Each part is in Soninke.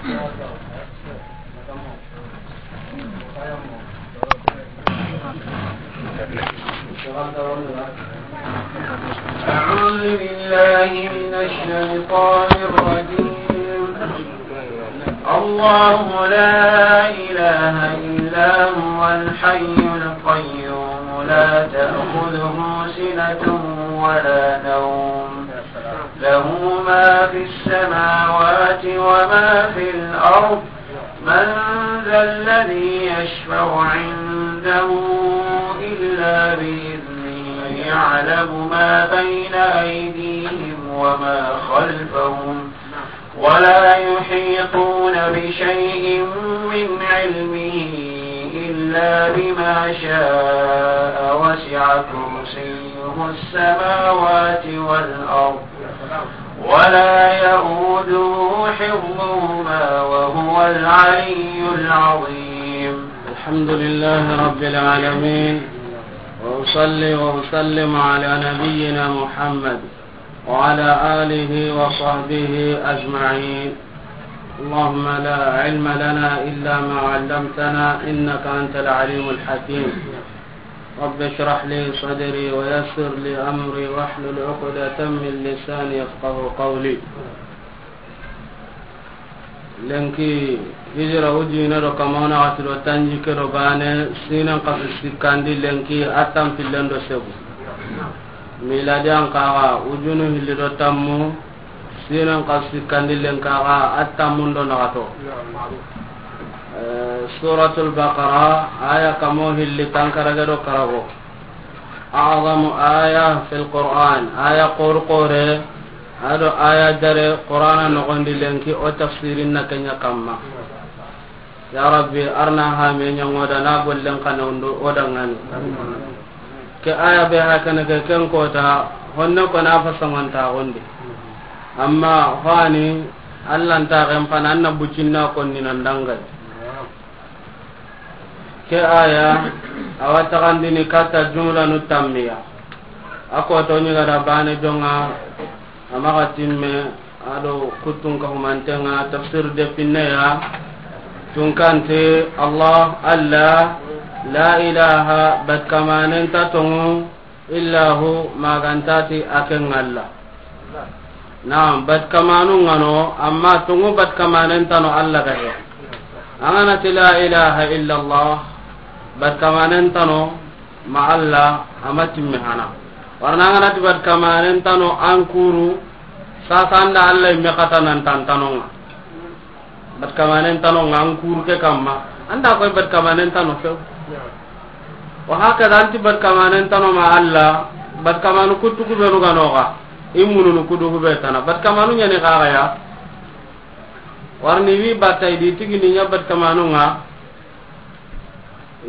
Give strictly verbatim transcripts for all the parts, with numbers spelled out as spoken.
أعوذ بالله من الشيطان الرجيم. الله لا إله إلا هو الحي القيوم لا تأخذه سنة ولا نوم له ما في السماوات وما في الأرض من ذا الذي يشفع عنده إلا بإذنه يعلم ما بين أيديهم وما خلفهم ولا يحيطون بشيء من علمه إلا بما شاء وسع كرسيه السماوات والأرض ولا يئوده حفظهما وهو العلي العظيم. الحمد لله رب العالمين، وأصلي وأسلم على نبينا محمد وعلى آله وصحبه أجمعين. اللهم لا علم لنا إلا ما علمتنا إنك أنت العليم الحكيم. رب اشرح لي صدري ويسر لي أمري واحلل عقدة من لساني يفقهوا قولي. Lenki hijira wujine do kamana wati do tanjikke do bane, sinan kasu sikkandi lenki a tanpillen do segu. Miladi an kaga wujunu hilli do tammu, sinan kasu sikkandi lenki kaga a tammun do nagato. Eh, Suratul Baqara, aya kamo hilli tankarage do karago. A'zamu aya fil Qur'an, aya qor qore, ado aya dare Qur'ana nogondi lenki o tafsirin na kenya kamma. Ya Rabbi, arna ha me nyangoda na gollen kana undo o dangani. Ke aya be ha kana ke ken kota, honne ko na fasangon ta gondi. Amma hani, Allah nta gen pana anna bucinna konni nan dangai. Ke aya, awa taxandini katta jumlanu tammiya. A koto ɲigada bane jonga, a maxa timme, ado kuttun ka humantenga, tafsir de pinneya, tunkante, Allah, Allah, la ilaha, bat kamanen ta tongu, illa hu, magantati a ken Allah. Naam, bat kamanu ngano, amma tungu bat kamanen tano Allah ga he. Angana ti la ilaha illa Allah, bat kamanen tano ma Allah, ama timme hana. Warna angana ti bat kamanen tano an kuru, sasa anda Allah imme kata nan tantanonga. Bat kamanen tano nga an kuru ke kamma. Anda koy bat kamanen tano few. Wa hakada anti bat kamanen tano ma Allah, bat kamanu kuttu ku benu ga noga. I mununu kudu ku be tana. Bat kamanu ɲani kaga ya. Warni wi batai di tigini ɲa bat kamanu nga.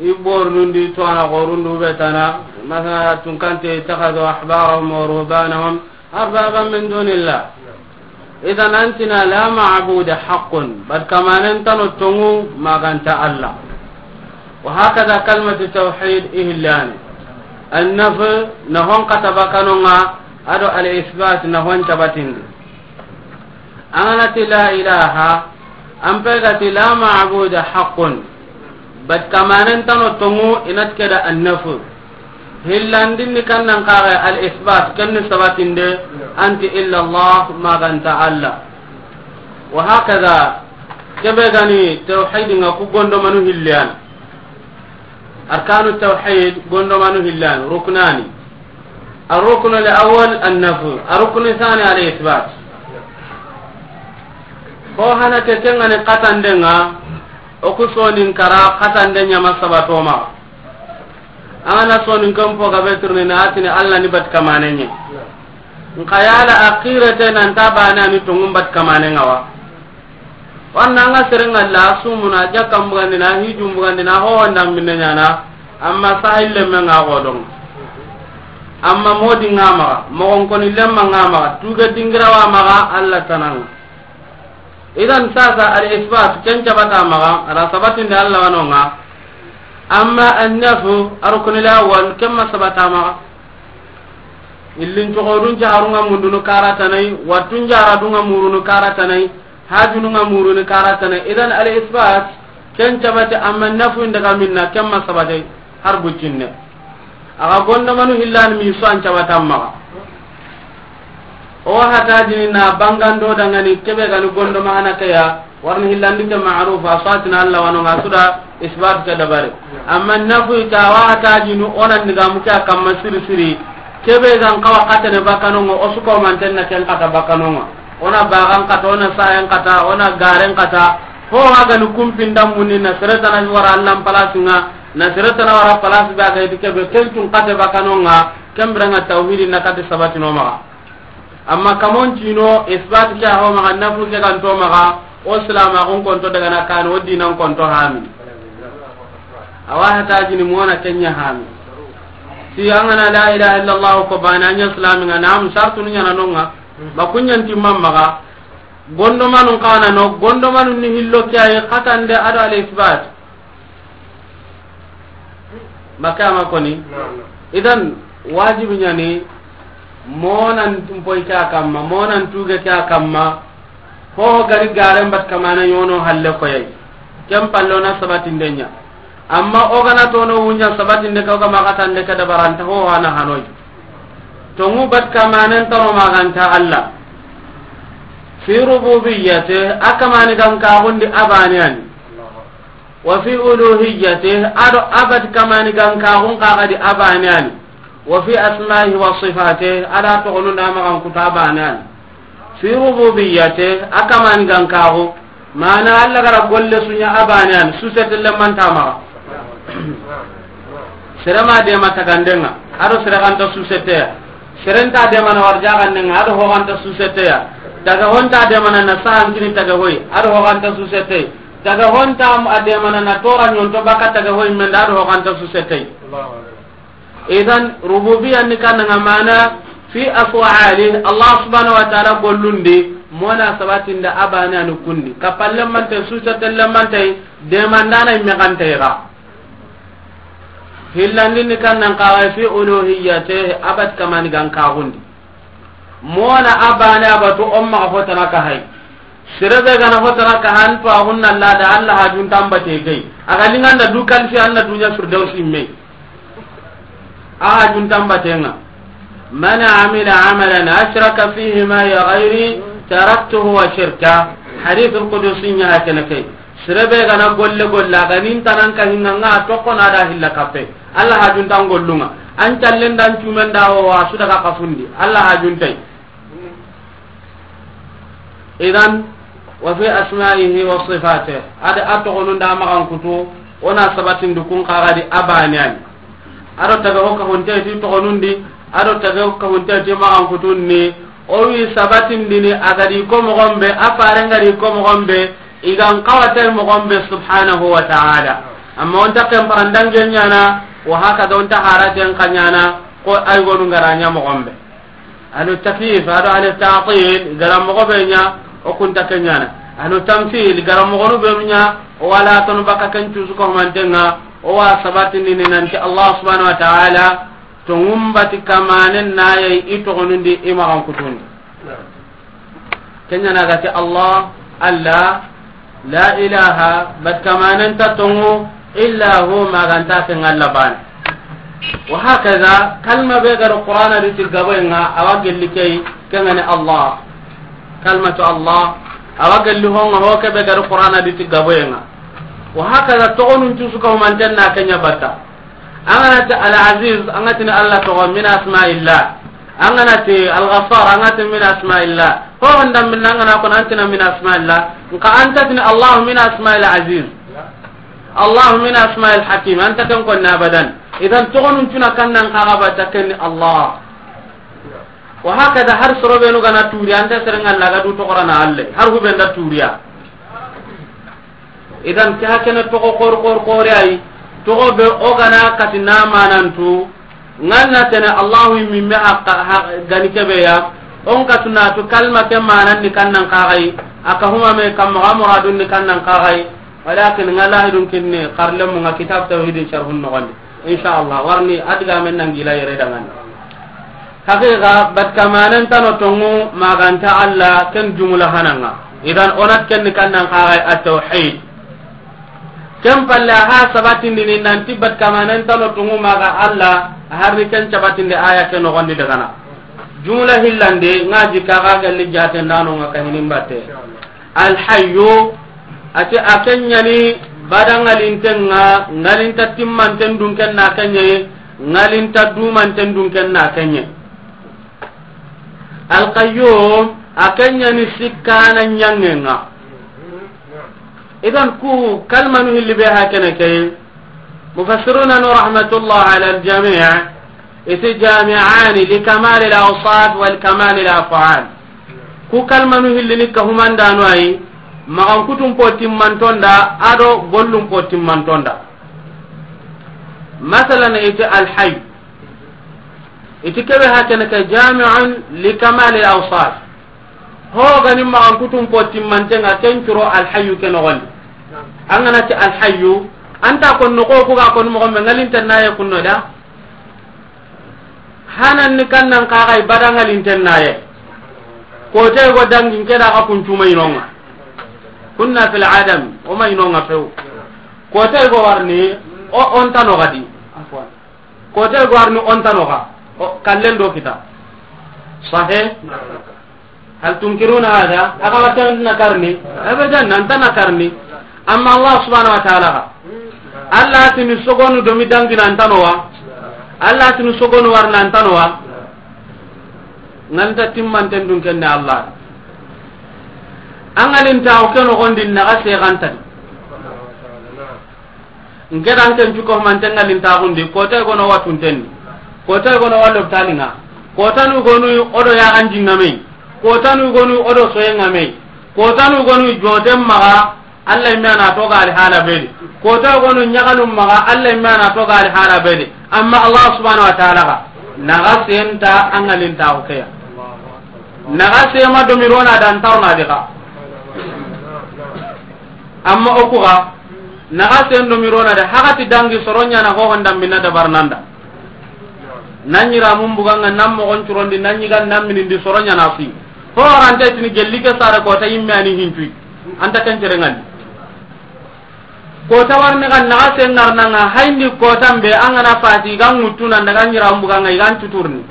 I bornundi to ana gorundu be tana. Masala tunkante ittakhadhu ahbarahum wa ruhbanahum أربابا من دون الله. Idan antina la ma'buda haqqun, bat kamanen tano tongu maganta Allah. Wa hakada kalmatu tawhid ihillani. An-nafy na hon kata bakanonga, ado al-isbat na hon tabatindi. Angana ti la ilaha, an pe ga ti la ma'buda haqqun. Bat kamanen tano tongu inat keda an-nafy. Hillandinni kannan kaga al-isbat, kenni sabatinde, anti illa Allah, maganta Allah. Wa hakada, kebe gani tawhid nga ku gondomanu hilliyan. Arkanu tawhid gondomanu hilliyan, ruknani. الركن الأول النفي، الركن الثاني الإثبات. Ko hana ke kengani katandenga, o ku sonin kara katande ɲama sabatoma. Angana sonin kan po gabe turni na atini Allah ni bat kamanenye. Nka yala akhirate nan tabana ni tungum bat kamanenga wa. Wanda nga serenga la sumuna, jakam bugandina, hijum bugandina, ho wanda minne nyana, amma sahil lemme nga godon. Amma modi nga maga, mogon koni lemma nga maga, tuga dingira wa maga, Allah tanang. Idan sasa al isbat, ken cabata maga, ra sabatin da Allah wanonga. Amma an-nafyu, arukuni la wan, kemma sabata maga. Illin togodun jaharunga mundunu karatanai, watun jaradunga murunu karatanai. Hajunu nga muruni karatana. Idan al isbat ken cabate, amma nafu inda ga minna ken ma sabate har bucinne. Aga gondomanu hillani mi so an cabata maga. O hatajini na bangando dangani kebe gani gondo mahana kaya, warni hillandi ke ma'ruf, a satina Allah wano nga suda isbat ke dabari. Amma nafu ita wa hatajinu onan diga muke kamma siri siri. Kebe gan kawa katene bakanongo, osuko mantenna ken kata bakanongo. Ona bagan kata, ona sayen kata, ona garen kata. Ho hagani kumpinda munni na seretana wara Allah palasinga, na seretana wara palasi baga iti kebe, ken tun kate bakanonga, kembiranga tawhidi na kate sabatino maga. Amma kamon cino, isbat ke ho maga, nafu ke kan to maga, o silama kon konto daga na kan, o dinan konto hami. Awa hatajini mona kenya hami. Si angana la ilaha illallah ko bana nya islami nga nam sartu nya na nonga. Ba kunyan timman maga. Gondomanu kana no, gondomanu ni hillo kyaye katande ado al isbat. Makama koni. Idan wajibi nyani monan tumpoy kya kamma, monan tuge kya kamma. Ho gari garen bat kamana yono halle koyay. Kem pallo na sabatindenya. Amma o gana tono wunya sabatinde ka, o ga magatande ka dabaranta ho hana hanoy. Tongu bat kamanen taro maganta Allah. Fi rububiyyati, akamani gan kagundi abani ani. Wa fi uluhiyyati, ado abat kamani gan kagun kagadi abani ani. Wa fi asma'ihi wa sifatihi, ada togonunda magan kuta abani ani. Fi rububiyyati, akamani gan kagu. Mana Allah gara golle sunya abani ani, susete lemanta maga. Serema dema tagandenga, ado sereganta suseteya. Serenta dema na warjagandenga, ado hoganta suseteya. Taga honta dema na na sahankini taga hoy, ado hoganta susetey. Taga honta adema na na tora nyonto baka taga hoy menda, ado hoganta susetey. Idan rububiyya ni kananga mana fi af'ali Allah subhanahu wa ta'ala gollundi, mona sabatinda abana ni kundi. Kapalle mante, susa telle mante, demandana imme kante ga. Hillandi ni kannan kaga fi uluhiyyati, abat kamani gan kagundi. Mona abana abatu umma hotana ka hay. Serebe gana hotara ka han to agunna lada Allah hajun tambate gay. Aga linganda du kalfi anna dunya firdausi me. A hajun tambatenga. Man amila amalan ashraka fihi ma'i ghairi taraktuhu wa shirka. Hadith al-qudusi nya hakana kay. Serebe gana golle golla ganin tanan ka hinga nga to kona da hilla kape. Allah hajun tan gollunga. An tallen dan cumen da wa su daga kafundi. Allah hajun tay. Idan, wa fi asma'ihi wa sifatihi. Ada a togonun da magan kutu, ona sabatin dukun kagadi abani ani. Ado taga ho ka honte ti togonundi, ado taga ho ka honte ti magan kutunni. O wi sabatin dini agadi ko mogombe, a faren gadi ko mogombe, igan kawate mogombe subhanahu wa ta'ala. Amma onta kem parandange nyana, wa haka da onta haraten kanyana, ko ay gonu ngaranya mogombe. Ahlu takyif, ado ahlu ta'til, gara mogo be nya, o kunta kenyana. Ahlu tamthil, gara mogo be nya, o wala ton baka ken cusu ko mantenga, o wa sabatini ni nanti Allah subhanahu wa ta'ala, to ngumbati kamanen naye i togonundi i magan kutundi. Kenyana gati Allah, Allah, La ilaha, bat kamanen ta tongu, illa hu, maganta ken Allah bane. Wa hakaza, kalma be garo Qur'ana di ti gaboyenga, awa gelli kay, kengani Allah. Kalmatu Allah, awa gelli honga ho ke be garo Qur'ana di ti gaboyenga. Wa hakaza, togonun cusu ka humanten na kenya batta. Angana ti Al-Aziz, angana ti ni Allah togo min asma'illah. Angana ti Al-Ghaffar, angana ti min asma'illah. Ho honda min angana ko antina min asma'illah. Nka anta ti ni Allah min asma'il Aziz. Allah min asma'il Hakim. Anta ken ko abadan. Idan togonun cuna kannan kaga ba ta ken Allah. Wa hakada har soro be no gana turi anta serenga laga du to Qur'ana alle. Har hubenda turiya. Idan ke hakene togo kor kor kor ay, togo be o gana kati na manantu, nganna tene Allahu mimme haqqa, ha-, gani kebe ya, on katuna tu kalma ke manan ni kannan kagai, aka huma me kam ga muradun ni kannan kagai, walakin ngala hidun kinne, karlemu nga kitab tawhidin sharhun no gandi. Insha Allah, warni adiga men nan gila yere dangan. Haqiqa, bat kamanen tano tongu maganta Allah ken jumula hananga. Idan, o na ti ken ni kannan xaxay at-tawhid. Ken palle, a ha sabatindini nanti bat kamanen tano tungu maxa Alla, a harni ken cabatindi aya ke noxondi dagana. Jumla hillandi, nga jikka ga galli jatendanonga kahinin batte. Alhayyu, ati a ken ɲani badangalinten ŋa, ngalinta timmanten dunken na ken ɲayi, ngalinta dumanten dunken na ken ɲayi. Alqayyum, a ken ɲani sikkana ɲangenga. Idan ku kalmanu hilli be hakene ke. Mufassiruna no rahmatullah ala aljami', iti jami'ani li kamal al awsaf wal kamal al af'al. Ku kalmanu hilli ni kahumandano ayi, maxan kutun po timmantonda, ado gollun po timmantonda. Masalan, iti alhayy. Iti kebe hakene ke jami'un li kamal al awsaf. Ho gani maxan kutun po timmantenga ken curo alhayyu ke noxondi. An gana ti alhayyu, anta kon noxo ku ga kon moxo me ngalinten naye kunno da. Hanan ni kannan xaxay bada ngalinten naye. Kote go dangin ke da xa kun cuma inonga. Kunna fil adam, o ma inonga few. Kote go warni, o onta no gadi. Afwan. Kote go warni onta no ga. O kallen do kita. Sahe? Hal tunkiruna hada? Aga watan na karni? Abadan, nanta na karni. Amma Allah subhanahu wa ta'ala ga. Allah tini sogonu domi dangi nanta no wa. Allah tini sogonu war nanta no wa. Nganta timmanten dun kenne Allah. Angalin ta o keno gondi na ga se gantadi. Nke dan ken cuko mante ngalintaxundi, kota gono watuntenni, kota gono wallo talinga, kota nu gonu odo ya anji ngamei, kota nu gonu odo soye ngamei, kota nu gonu joten maga, Allah imme ana toga ali hala bedi, kota gonu nyagalum maga, Allah imme ana toga ali hala bedi. Amma Allah subhanahu wa ta'ala ga naga senta angalintaxu keya. Naga sema domirona dan tarna diga. Amma o kuga naga sen do mirona de, hagati dangi soronya na ho honda minna dabar nanda. Nanyi ramun buganga nam mo gon curondi nanyi gan nam minindi soronya na fi. Ho rante tini gelli ke sare kota imme ani hintui. Anta kan cerengan. Kota warne kan naga sen ngarnanga haindi kota mbe angana fati gan mutuna daga nyira buganga igan tuturni.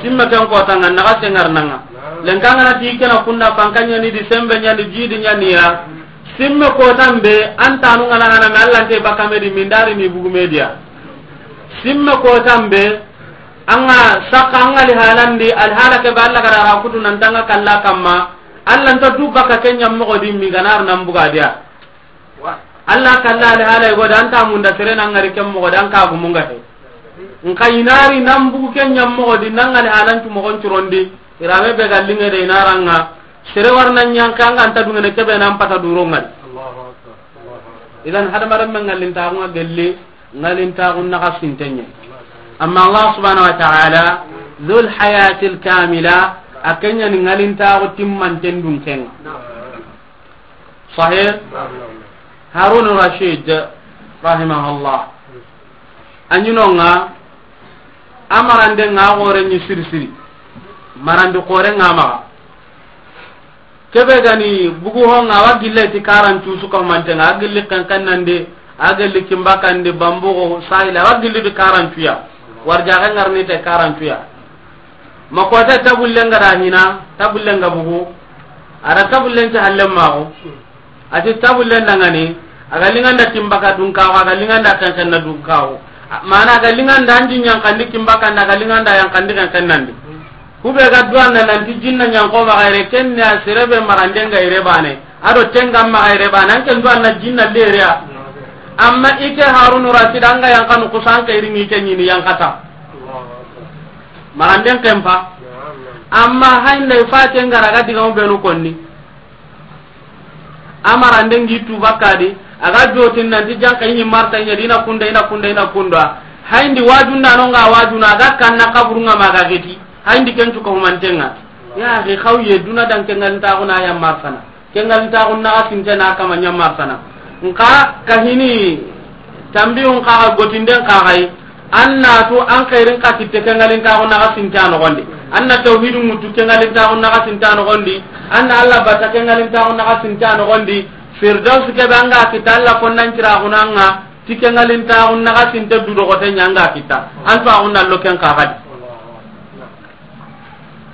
Simme ken kota nga naga sen ngarnanga. Lenkanga na ti kena kunna fankanya ni di sembe nya ni jidi nya ni ya. Simme kota mbe anta nu ngana hana me Allah nte bakame di mindari ni bugu media. Simme kota mbe anga saka anga li halandi al halake ba Allah gara kutu nan tanga kalla kamma. Allah nta du baka kenya mo di mi ganar nan buga dia. Allah kalla ali hala go dan ta munda sere nan ngari kem mo dan ka gumunga he. Nka inari nan bugu ken nyam mo di nan ngali halan tu mo gon curondi. Irame be gallinge de inaranga. Sere warna nyanka nga anta dungene kebe nan pata duro ngali. Idan hada maram men ngalin ta nga gelli, ngalin ta na ka sintenye. Amma Allah subhanahu wa ta'ala, dhul hayatil kamila, akenya ni ngalin ta timmanten dun kenga. Sahih? Harun Rashid, rahimahullah. Anyinonga, amarande nga gore ni siri siri. Marandi kore nga maga. Kebe gani bugu honga wa gille ti karancu suka mantenga, a gilli kankan nande, a gilli kimbakande, bambugo, sahila, wa gilli di karancu ya. Warja ga ngarni te karancu ya. Ma kota tabullenga da hina, tabullenga bugu. Ada tabullen ci hallen mago. Ati tabullen dangani, aga linganda timbaka dun kawo, aga linganda kankanna dun kawo. Mana aga linganda anji nyankandi kimbaka nda, aga linganda yankandi kankannandi. Kube ga duwanna nanti jinna nyanko ma gaire kenne a sirebe marandenga ire bane. Ado tenga ma gaire bane, anke duwanna jinna leria. Amma ike Harun Rashid anga yankanu kusanka irini ke nyini yankata. Maranden kempa. Amma haynda i fate ngara ga diga mu benu konni. Amarande ngi tu bakadi, aga jotin nanti janka ini marta ina dina kunda, ina kunda, ina kunda. Hayndi wajunda no nga wajuna, aga kanna kaburu nga maga geti. Hayndi kencu ko mantenga. Ya akhi, khawye duna dan kengal ta kuna ya martana. Kengal ta kunna asinte na kama nya martana. Nka kahini tambi un ka gotinden ka hay. Anna tu an khairin ka kitte kengal ta kunna asinte no gonde. An na tawhidu ŋutu ke ŋalintaxu naxasinta noxondi. An na Allah bata ke ŋalintaxu naxasinta noxondi. Firdaus ke be an ga kita Allah konnan ciraxunanga ti ke ŋalintaxu naxasinte du doxote ɲa an ga kita. An to axun na lo ken kaxadi.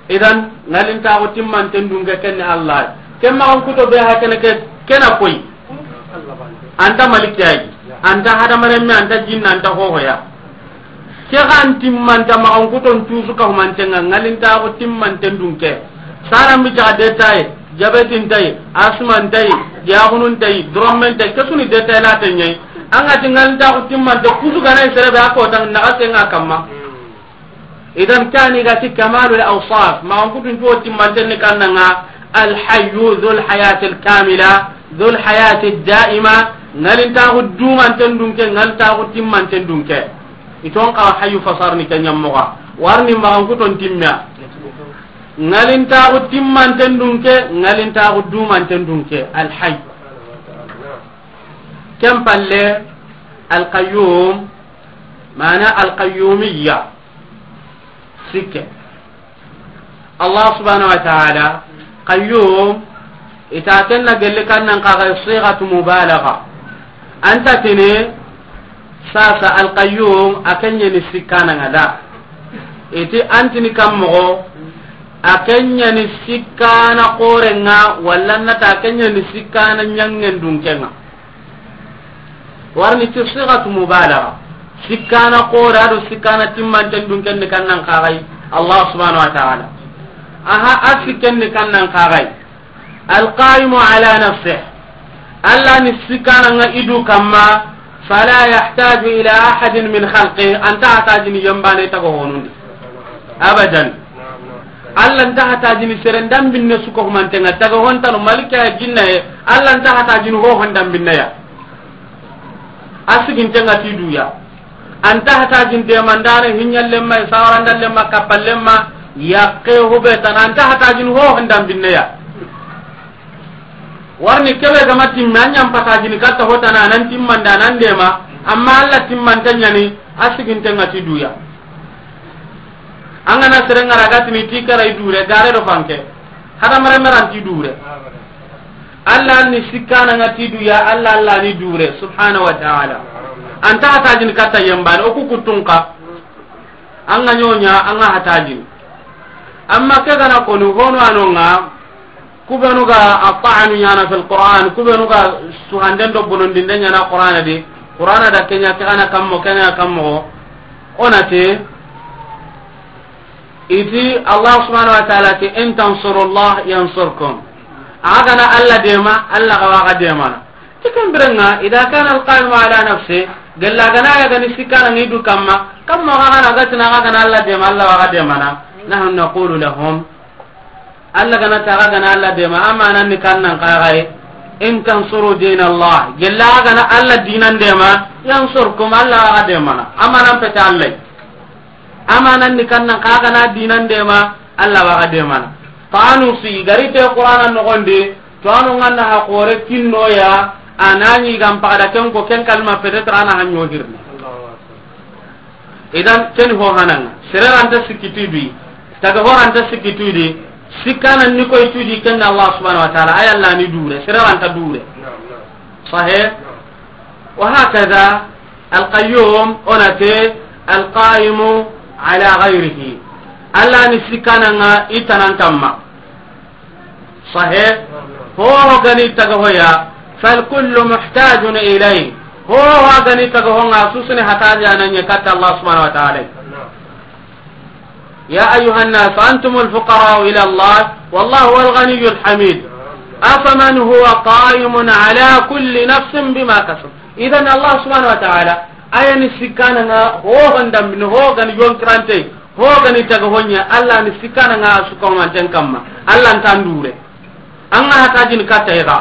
Idan ŋalintaxu timmanten dunke kenne Allah. Ken maxan kuto be ha kene ke kena koy. Anta maliki ay. Anta hadamarenme, anta jinna, anta hohoya. Ke xan timmanta maxan kuton tusu ka humantenga ŋalintaxu timmanten dunke. Saran bi jaxa detaye, jabetin tay, asman tay, yaxunun tay, drommen tay, kesuni detaye la tanyay. An ga ti ŋalintaxu timmante kusu ganay serebe a kotan naxa senga kamma. Idan kani ga ti kamalul awsaf, maxan kutun tuwo timmanten ni kannanga, alhayyu dhul hayatil kamila, dhul hayatid daima, ŋalintaxu dumanten dunke, ŋalintaxu timmanten dunke. Iton xawa hayyu fasarni ke ɲammoxa, warni maxan kuton timmiya. Ŋalintaxu timmanten dunke, ŋalintaxu dumanten dunke, alhayyu. Ken palle, alqayyum, mana alqayyumiyya. Sikke. Allah subhanahu wa ta'ala, qayyum, ita kenna gelle kannan kaga sighatu mubalagha. Anta tini sasa alqayyum, a kenya ni sikkana ngada. Iti antini kammo, a kenya ni sikkana korenga, walla nata a kenya ni sikkana nyangen dunkenga. Warni ti sighatu mubalagha. Sikkana kore do sikkana timmanten dunken ni kannan kagai Allah subhanahu wa ta'ala. Aha, a sikken ni kannan kagai. Alqaimu ala nafsih. Allah ni sikkana nga idu kamma, fala yahtaju ila ahadin min khalqih. Anta hatajini yambane tago honundi. Abadan. Allah nta hatajini seren dambinne suko humantenga taga hontano malika ya jinna ye. Allah nta hatajini ho hon dambinne ya. A sigintenga ti duya. Anta hatajini demandare hinyallemma, sawarandallemma, kappallemma, yakke hube tana anta hatajini ho hon dambinne ya. Warni kebe gama timme, a ɲan patajini katta hotana, a nan timmanda, a nan dema, amma Allah timmanta ɲani, a sigintenga ti duya. An gana serengara gatini ti karai dure, gare do fanke. Hadamare meranti dure. Allah ni sikkana nga ti duya, Allah, Allah ni dure, subhanahu wa ta'ala. Anta hatajini katta yembane, o ku kuttunka. An ga ɲoɲa, an ga hatajini. Amma ke gana koni, hono anonga, Kubenu ga ata'anu ɲana fil Qur'an, kubenu ga suhanden do bonondinde ɲana Qur'ana di. Qur'ana da kenya ke gana kammo, kenya kammo. Onate, iti Allah subhanahu wa ta'ala ti, "In tansurullah yansurkum." Aga na Allah dema, Allah ga waga demana. Ti kan birenga, idha kana al-qaimu ala nafsi, gella gana ya gani sikana ngidu kamma, kamma ga gana gatina ga gana Allah dema, Allah waga demana. Nahnu naqulu lahum, Allah gana taga gana Allah dema, amanan ni kannan kagai. In tansuru din Allah, gella gana Allah dinan dema, yansurkum, Allah waga demana. Amanan peta Allah. Amanan ni kannan kaga na dinan dema, Allah waga demana. Tanu si, gari te Qur'ana nogondi, to anu nganna ha kore kinno ya, anani gam pagada ken ko ken kalma peut-être ana hanyo hirni. Idan, ken ho hananga. Sereranta sikki tudi. Taga horanta sikki tudi. Sikkana ni koy tudi ken Allah subhanahu wa ta'ala. Ay Allah ni dure. Sereranta dure. Sahih? Wa hakadha al-qayyum onate al-qaimu ala ghayrihi. Allah ni sikkana nga itanan kamma. Sahih. Ho gani taga hoya, fal kullu muhtajun ilayhi. Ho gani taga honga susune hataja nanye katta Allah subhanahu wa ta'ala. Ya ayyuhan nas, antumul fuqara'u ila Allah, wallahu huwal ghaniyyul hamid. Afaman huwa qa'imun ala kulli nafsin bima kasab. Idan Allah subhanahu wa ta'ala, ayani sikana nga ho gandam ho gani yonkirante. Ho gani taga honya, Allah ni sikkana nga suka manten kamma. Allah nta ndure. Anga hatajini katta ega.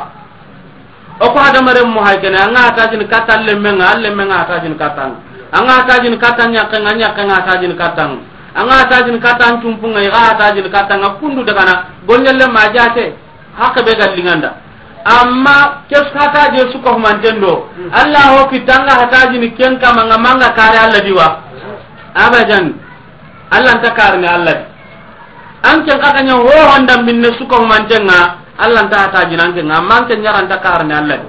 O ko hadamaren mo hay kene, anga hatajini katta lemme nga, lemme nga hatajini katta nga. Anga hatajini katta nyakke nga, nyakke nga hatajini katta nga. Anga hatajini katta tumpu nga, iga hatajini katta nga kundu daga na. Gonyelle ma jate. Haqe be ga linganda. Amma kes hataje su ko manten do. Allah ho kitanga hatajini ken kama nga manga kare Allah diwa. Abadan. Allah nta karni Allah di. An ken xa ga ɲa ho honda minne su ko mantenga, Allah nta ta jinan ken, amma an ken ɲa ra nta karne Allah.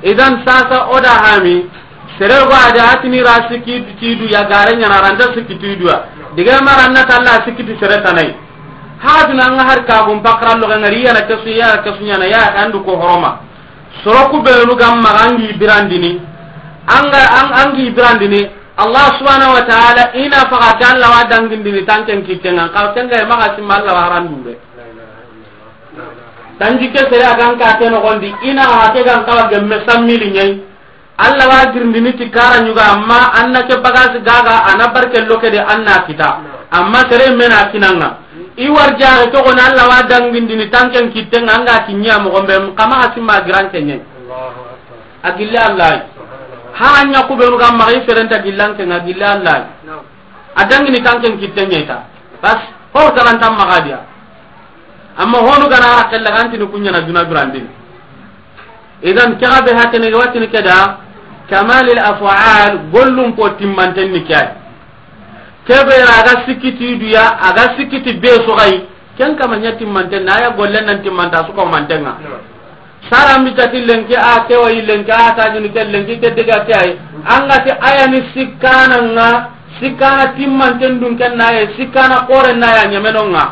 Idan sasa o da hami, sere go a da atini ra sikki ti du ya gare ɲa na ra nta sikki ti du ya. Diga ma ra na ta Allah sikki ti sere tanai. Haduna nga har ka gum pakra lo ga ngari ya na kesu ya na kesu ɲa na ya andu ko horoma. Soro ku benu ga maxa an gi birandini. An ga, an, an gi birandini. Allah subhanahu wa ta'ala i na faga ke Allah wa dangindini tanken kitten ŋa. Xa ken ga maxa simma Allah wa harandu be. Tanjikke sere a ga n ka ke noxondi, i na xa ke ga n kawa gemme sammili ɲa yi. Allah wa girindini ti kara ɲuga, amma an na ke bagasi gaga, a na barke loke de an na kita. Amma sere me na kinanga. I war jare to ko na Allah wa dangindini tanken kitten ŋa, an ga kinya mo gombe, xa maxa simma giran ke ɲa yi. A gilla Allah. Ha ɲa ku benu ga maxa i ferenta gillan ke ŋa gilla Allah. A dangini tanken kitten ɲa yi ta. Bas, ho talantan maxa diya. Amma honu ga na ra kella ga ntini ku ɲa na duna durandini. Idan ke ga be hakene ga watini ke da, kamalil af'al, gollum po timmanten ni ke yi. Ke be ra ga sikki ti du ya, a ga sikki ti be su ga yi, ken kama ɲa timmanten na ya golle nan timmanta su ko mantenga. Sara mi tati lenki a ke wa yi lenki a ta jini ke lenki ke diga ke ay. An ga ti aya ni sikkana ŋa, sikkana timmanten dun ken na ye, sikkana kore na ya ɲameno ŋa.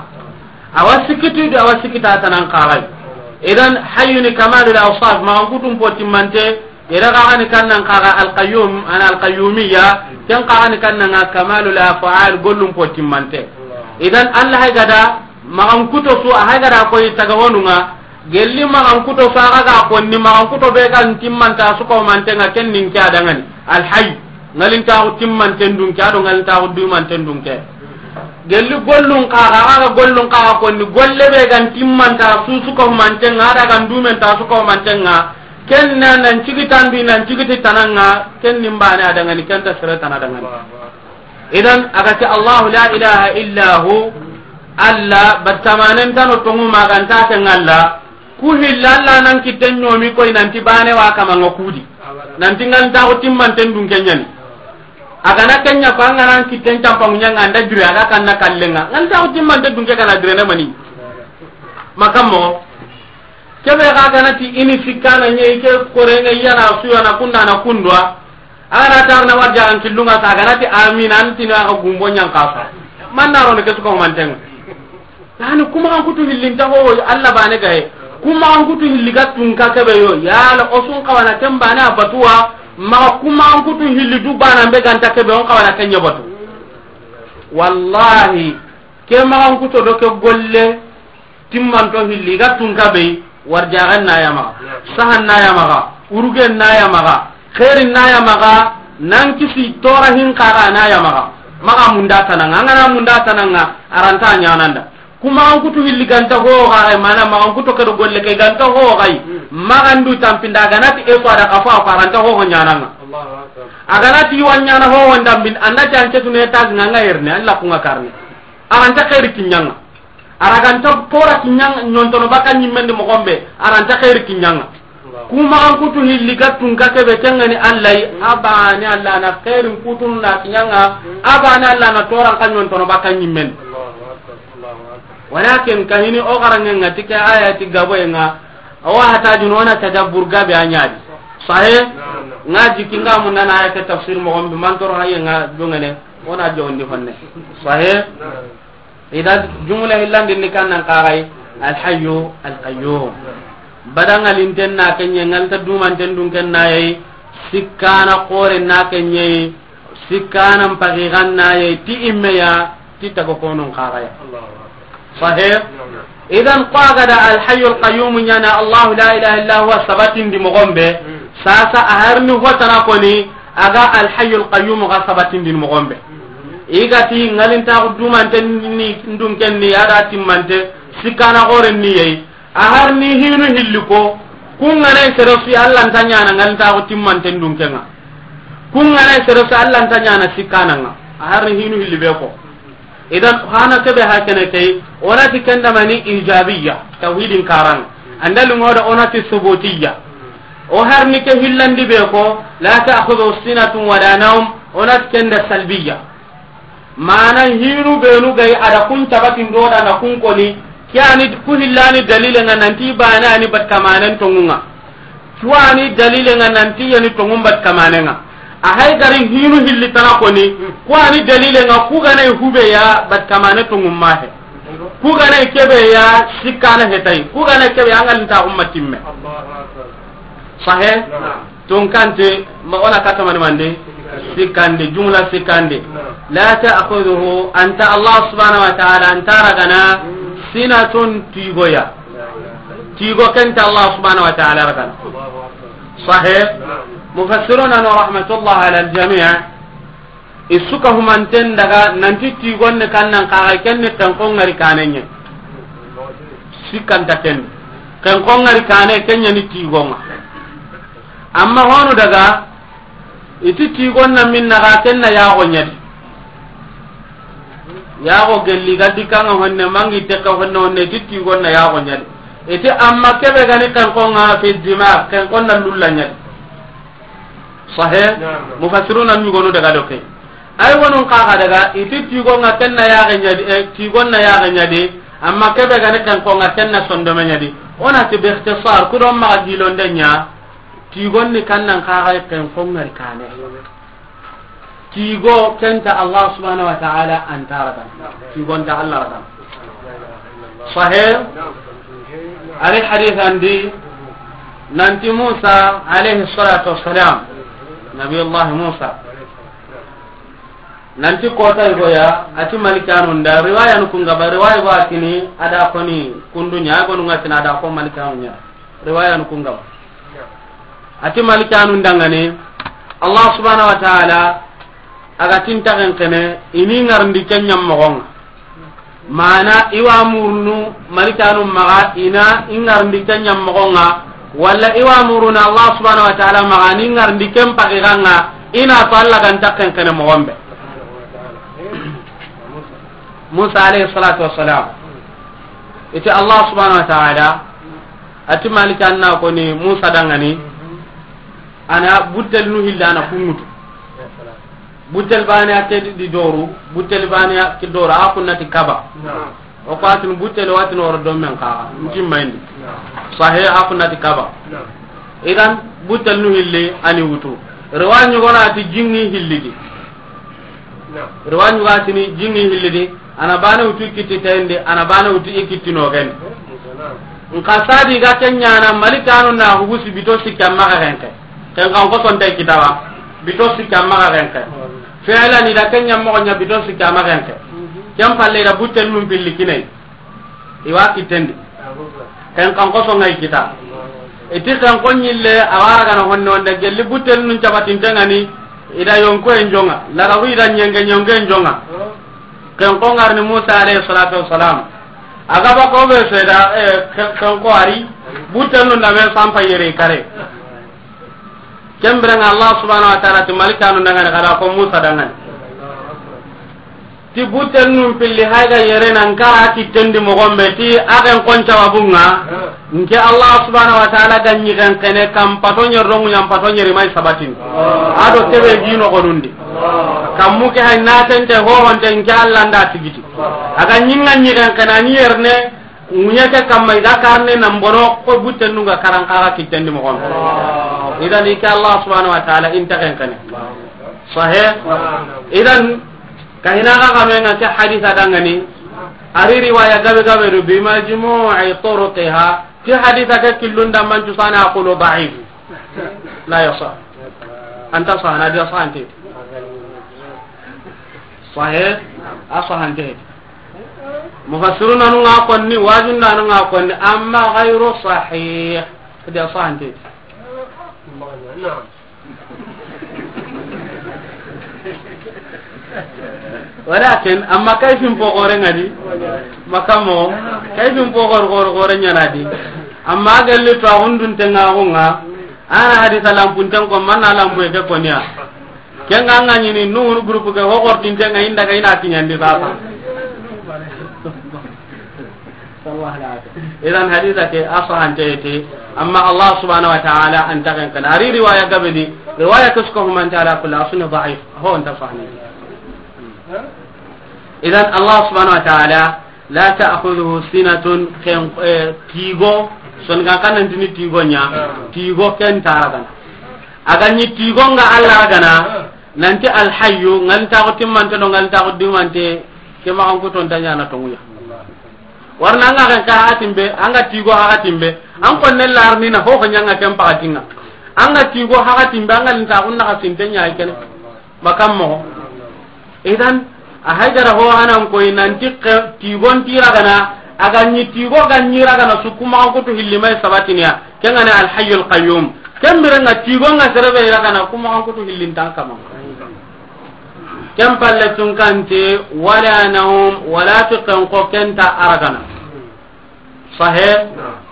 Awa sikki ti du, awa sikki ta tanan xaxay. Idan hayyu ni kamalul awsaf, maxa n kutum po timmante, yere xaxa ni kannan xaxa al qayyum, ana al qayyumiyya, ken xaxa ni kannan ŋa kamalul af'al, gollum po timmante. Idan Allah hay gada, maxa n kuto su, a hay gada koy taga wonu ŋa, gelli maxa n kuto su, a ga ga konni maxa n kuto be ga n timmanta su ko mantenga ken nin ke a dangani. Al hayy. Ŋalintaxu timmanten dunke, a do ŋalintaxu dumanten dunke. Gelli gollun xaxa, a ga gollun xaxa konni, golle be gan timmanta susu ko mantenga, a da gan dumenta su ko mantenga. Ken na nan cigi tandu, nan cigi ti tananga, ken nin bane a dangani, ken ta sere tana dangani. Idan, a ga ti Allahu la ilaha illa hu, Allah, battamanen tano tongu maganta ken Allah, Ku hilli Alla nan kitten ɲomi koy nanti bane wa kamanga kudi. Nanti ŋalintaxu timmanten dunke ɲani. A ga na ken ɲa ko an ga nan kitten campangu ɲanga an da jure a ga kanna kallenga. Ŋalintaxu timmante dunke ga na jure ne mani. Makammo. Kebe ga ga na ti i ni sikkana ɲe i ke korenga i ya na suya na kunda na kundwa. A ga na tarna warja an killunga sa a ga na ti amina an tini a ga gumbo ɲan kasa. Man na ro ne ke su ko mantenga. Yani, ku maxan kutu hilli nta ho, Alla bane gaye. Ku maxan kutu hilli ga tunka kebe yo. Yala o su n xawana ken bane a batuwa, maxa ku maxan kutu hilli du bana be ga nta kebe, o n xawana ken ɲa batu. Wallahi, ke maxan kuto do ke golle timmanto hilli ga tunka be, warjaxen na ya maxa, sahan na ya maxa, urugen na ya maxa, xeerin na ya maxa, nan kisi tora hin xaxa na ya maxa. Maxa munda tananga, an ga na munda tananga, a ra nta ɲananda. Ku maxan kutu hilli ga nta ho xaxay, mana maxan kuto ke do golle ke ga nta ho xay, maxan du tampinda a ga na ti e so a da xa fo a ra nta ho ho ɲananga. A ga na ti wa ɲana ho ho ndambin, an na ti an ke tune tagi nga nga yerne, Alla ku nga karne. A ra nta xeeri kiɲanga. A ra ga nta tora kiɲanga, ɲontono baka ɲimmendi moxon be, a ra nta xeeri kiɲanga. Ku maxan kutu hilli ga tunka kebe, ken ga ni Alla yi, a bane Alla na xeerin kutunu na kiɲanga, a bane Alla na toran xa ɲontono baka ɲimmen. Walakin kahini o xarange nga ti ke aya ti gabo ye nga, awa hata juno na tadabbur gabe a ɲadi. Sahe? Nga jiki nga mun na aya ke tafsir moxon be, man toro haye nga jongene, o na jondi honne. Sahe? Idan, jumla hillandin ni kannan xaxay, Al Hayyu Al Qayyum. Bada ŋalinten na ke ɲe, ŋalinta dumanten dun ken na yi, sikkana xoren na ke ɲe, sikkana mpaxiran na yi, ti imme ya, ti taga konon xaxaya. Sahih? Idan, ko a ga da Al Hayyu Al Qayyum ɲana, Allahu la ilaha illa huwa sabatindi moxon be, sasa a harni hotana koni, a ga Al Hayyu Al Qayyum ga sabatindini moxon be. I ga ti ŋalintaxu dumanten ni ndun ken ni, a da timmante, sikkana xoren ni yeyi. A har ni hinu hilli ko, kun ga na sere su Alla nta ɲana ŋalintaxu timmanten dun ken ŋa. Kun ga na sere su Alla nta ɲana sikkana ŋa. A har ni hinu hilli be ko. Idan, hana kebe hakene kay, o na ti ken da mani ijabiyya, tawhidin karan. Andal ngoda o na ti subutiyya. O har ni ke hillandi be ko, la ta'khudhu sinatun wala nawm, o na ti ken da salbiyya. Mana hinu benu ga yi a da kun tabatin do da na kun koni. Ke ani ku hillani dalile nga nanti bana ani bat kamanen tongunga. Ku ani dalile nga nanti yani tongun bat kamanenga. A hay gari hinu hilli tana koni. Ku ani dalile nga ku gana hube ya bat kamane tongun mahe. Ku gana kebe ya sikana hetai. Ku gana kebe ya ngal ta umma timme. Sahe? Tonkante, ma ona kata mani mande? Sikande, jumla sikande. La ta'khudhuhu, anta Allah subhanahu wa ta'ala, anta ragana, sinatun, tigoya. Tigo kenta Allah subhanahu wa ta'ala ragana. Sahe? Mufassiruna no rahmatullah ala al-jami', isuka humanten daga nanti tigonne kannan kaga kenne kan ko ngari kanenye. Sikanta ken. Kan ko ngari kane kenya ni tigonga. Amma honu daga, iti tigonna minna ga kenna yago nyadi. Yago gelli ga dikanga honne mangi teka honne honne iti tigonna yago nyadi. Iti amma kebe gani kan ko nga fi dima kan ko na lulla nyadi. Sahe? Mufassiruna nyugonu daga doke. Ay wonun kaga daga iti tigonga kenna yago nyadi, e, tigonna yago nyadi. Amma kebe gani kan ko nga kenna sondome nyadi. Ona ti bi ikhtisar kudon ma gilonde nya. Tigonni kannan kaga ken ko ngari kane. Tigo kenta Allah subhanahu wa ta'ala antaraga. Tigonta Allah raga. Sahih. Ari hadith andi nanti Musa alayhi salatu wassalam. Nabi Allah Musa. Nanti kota igoya ati malikanu nda riwaya nukungaba riwaya go atini ada koni kundunya gonu ngatina ada ko malikanu nya. Riwaya nu kungam. Ati malikanu ndangane, Allah subhanahu wa ta'ala aga tinta kenkene ini ngarndi kenyam mogonga. Mana iwa murnu malikanu maga ina ingarndi kenyam mogonga. Wala iwa muruna Allah subhanahu wa ta'ala maga ni ngarndi kem pagiganga ina to Allah ganta kenkene mogombe. Musa alayhi salatu wassalam. Iti Allah subhanahu wa ta'ala, ati malika anna koni Musa dangani, ana butel nu hilla ana kungutu. Butel bani a ke di doru, butel bani a ke doru, a kunnati kaba. O ko atin butel watin oro do men ka, nti mayndi. Sahe a kunnati kaba. Idan butel nu hilli ani wutu. Rewa nyugona ati jingi hillidi. Riwa ɲuga tini jingi hillidi, ana bane wutu i kitti tayndi, ana bane wutu i kitti nogendi. Nka sadi ga kenyana malikanu na hugusi bito sikki amma ga renke. Ken kan ko sonte kitawa, bito sikki amma ga renke. Fi'lan ida kenya mogo nya bito sikki amma ga renke. Ken palle ida butten num pilli kinai. Iwa kittendi. Ken kan koso ngai kita. Iti ken ko nyille awara gana honne wonde gelli butel nun cabatin tengani. Ida yonko en jonga. Laga wi ida nyenge nyonge en jonga. Ken ko ngarni Musa alayhi salatu wassalam. Aga ba ko be seda, eh, ken, ken ko ari. Butel nun da me sampa yere kare. Kembirenga Allah subhanahu wa ta'ala ti malikanu dangani kada ko Musa dangani. Ti butten num pilli hayga yere nan kara kittendi mogombe ti agen kon cawabunga. Nke Allah subhanahu wa ta'ala ga nyigen kene kam pato nyer rongu nyam pato nyeri mai sabatin. Ado kebe gino gonundi. Kammu ke hay natente ho honte nke Allah nda tigiti. Aga nyinga nyigen kene ni yerne. Ŋuɲe ke kamma i ga karne nan bono ko butten nunga karan kaga kittendi mogon. Idan i ke Allah subhanahu wa ta'ala inta ken kene. Sahe. Idan kahina ga kame nga ke hadisa dangani. Ari riwaya gabe gabe do bi majmu'i turuqiha. Ke hadisa ke killunda mancu sana aqulu da'if. La yasah. Anta sahana dia sahante. Sahe. A sahante. Mufassiruna nu nga konni, wajunda nu nga konni, amma ghayru sahih. Kadi a sahante. Naam. Walakin amma kayfin po gore ngadi. Makamo kayfin po gore gore gore nyana di. Amma galli to hundun tenga hunga. Ana hadisa lampun tengo manna lampu ke konya. Kenga nga nyini nunu groupe ke ho gortinte nga inda ga ina kinyandi sasa. Sallallahu alaihi wasallam. Idan hadisa ke asahante te, amma Allah subhanahu wa ta'ala anta kan kan. Ari riwaya gabedi, riwaya kusko humanta ala kulli asuni da'if. Ho anta sahni. Idan Allah subhanahu wa ta'ala, la ta'khudhuhu sinatun, ken, eh, tigo, son ga kan nan tini tigo nya, tigo ken nta ragana. A ga ni tigo nga Allah ragana, nanti Al Hayyu, ngal nta ko timmante do, ngal nta ko dumante, ke ma an ko ton tanya na tonguya. Warna anga ken ka hatimbe, anga tigo hatimbe, an ko ne larni na ho ho nyanga ken pakatinga. Anga tigo hatimbe, anga nta ko na ka sintenya kene. Makam mo. Idan, a haydara ho hanan koy nanti ke-, tigon ti ragana, a ga ni tigo ga ni ragana su kuma ko to hilli may sabatiniya, ken ga na Al Hayyul Qayyum. Ken birenga tigo nga serebe ragana kuma ko to hillin tan kama. Ken palle tun kante, wala nawm, wala tiqan ko ken nta aragana. Sahe,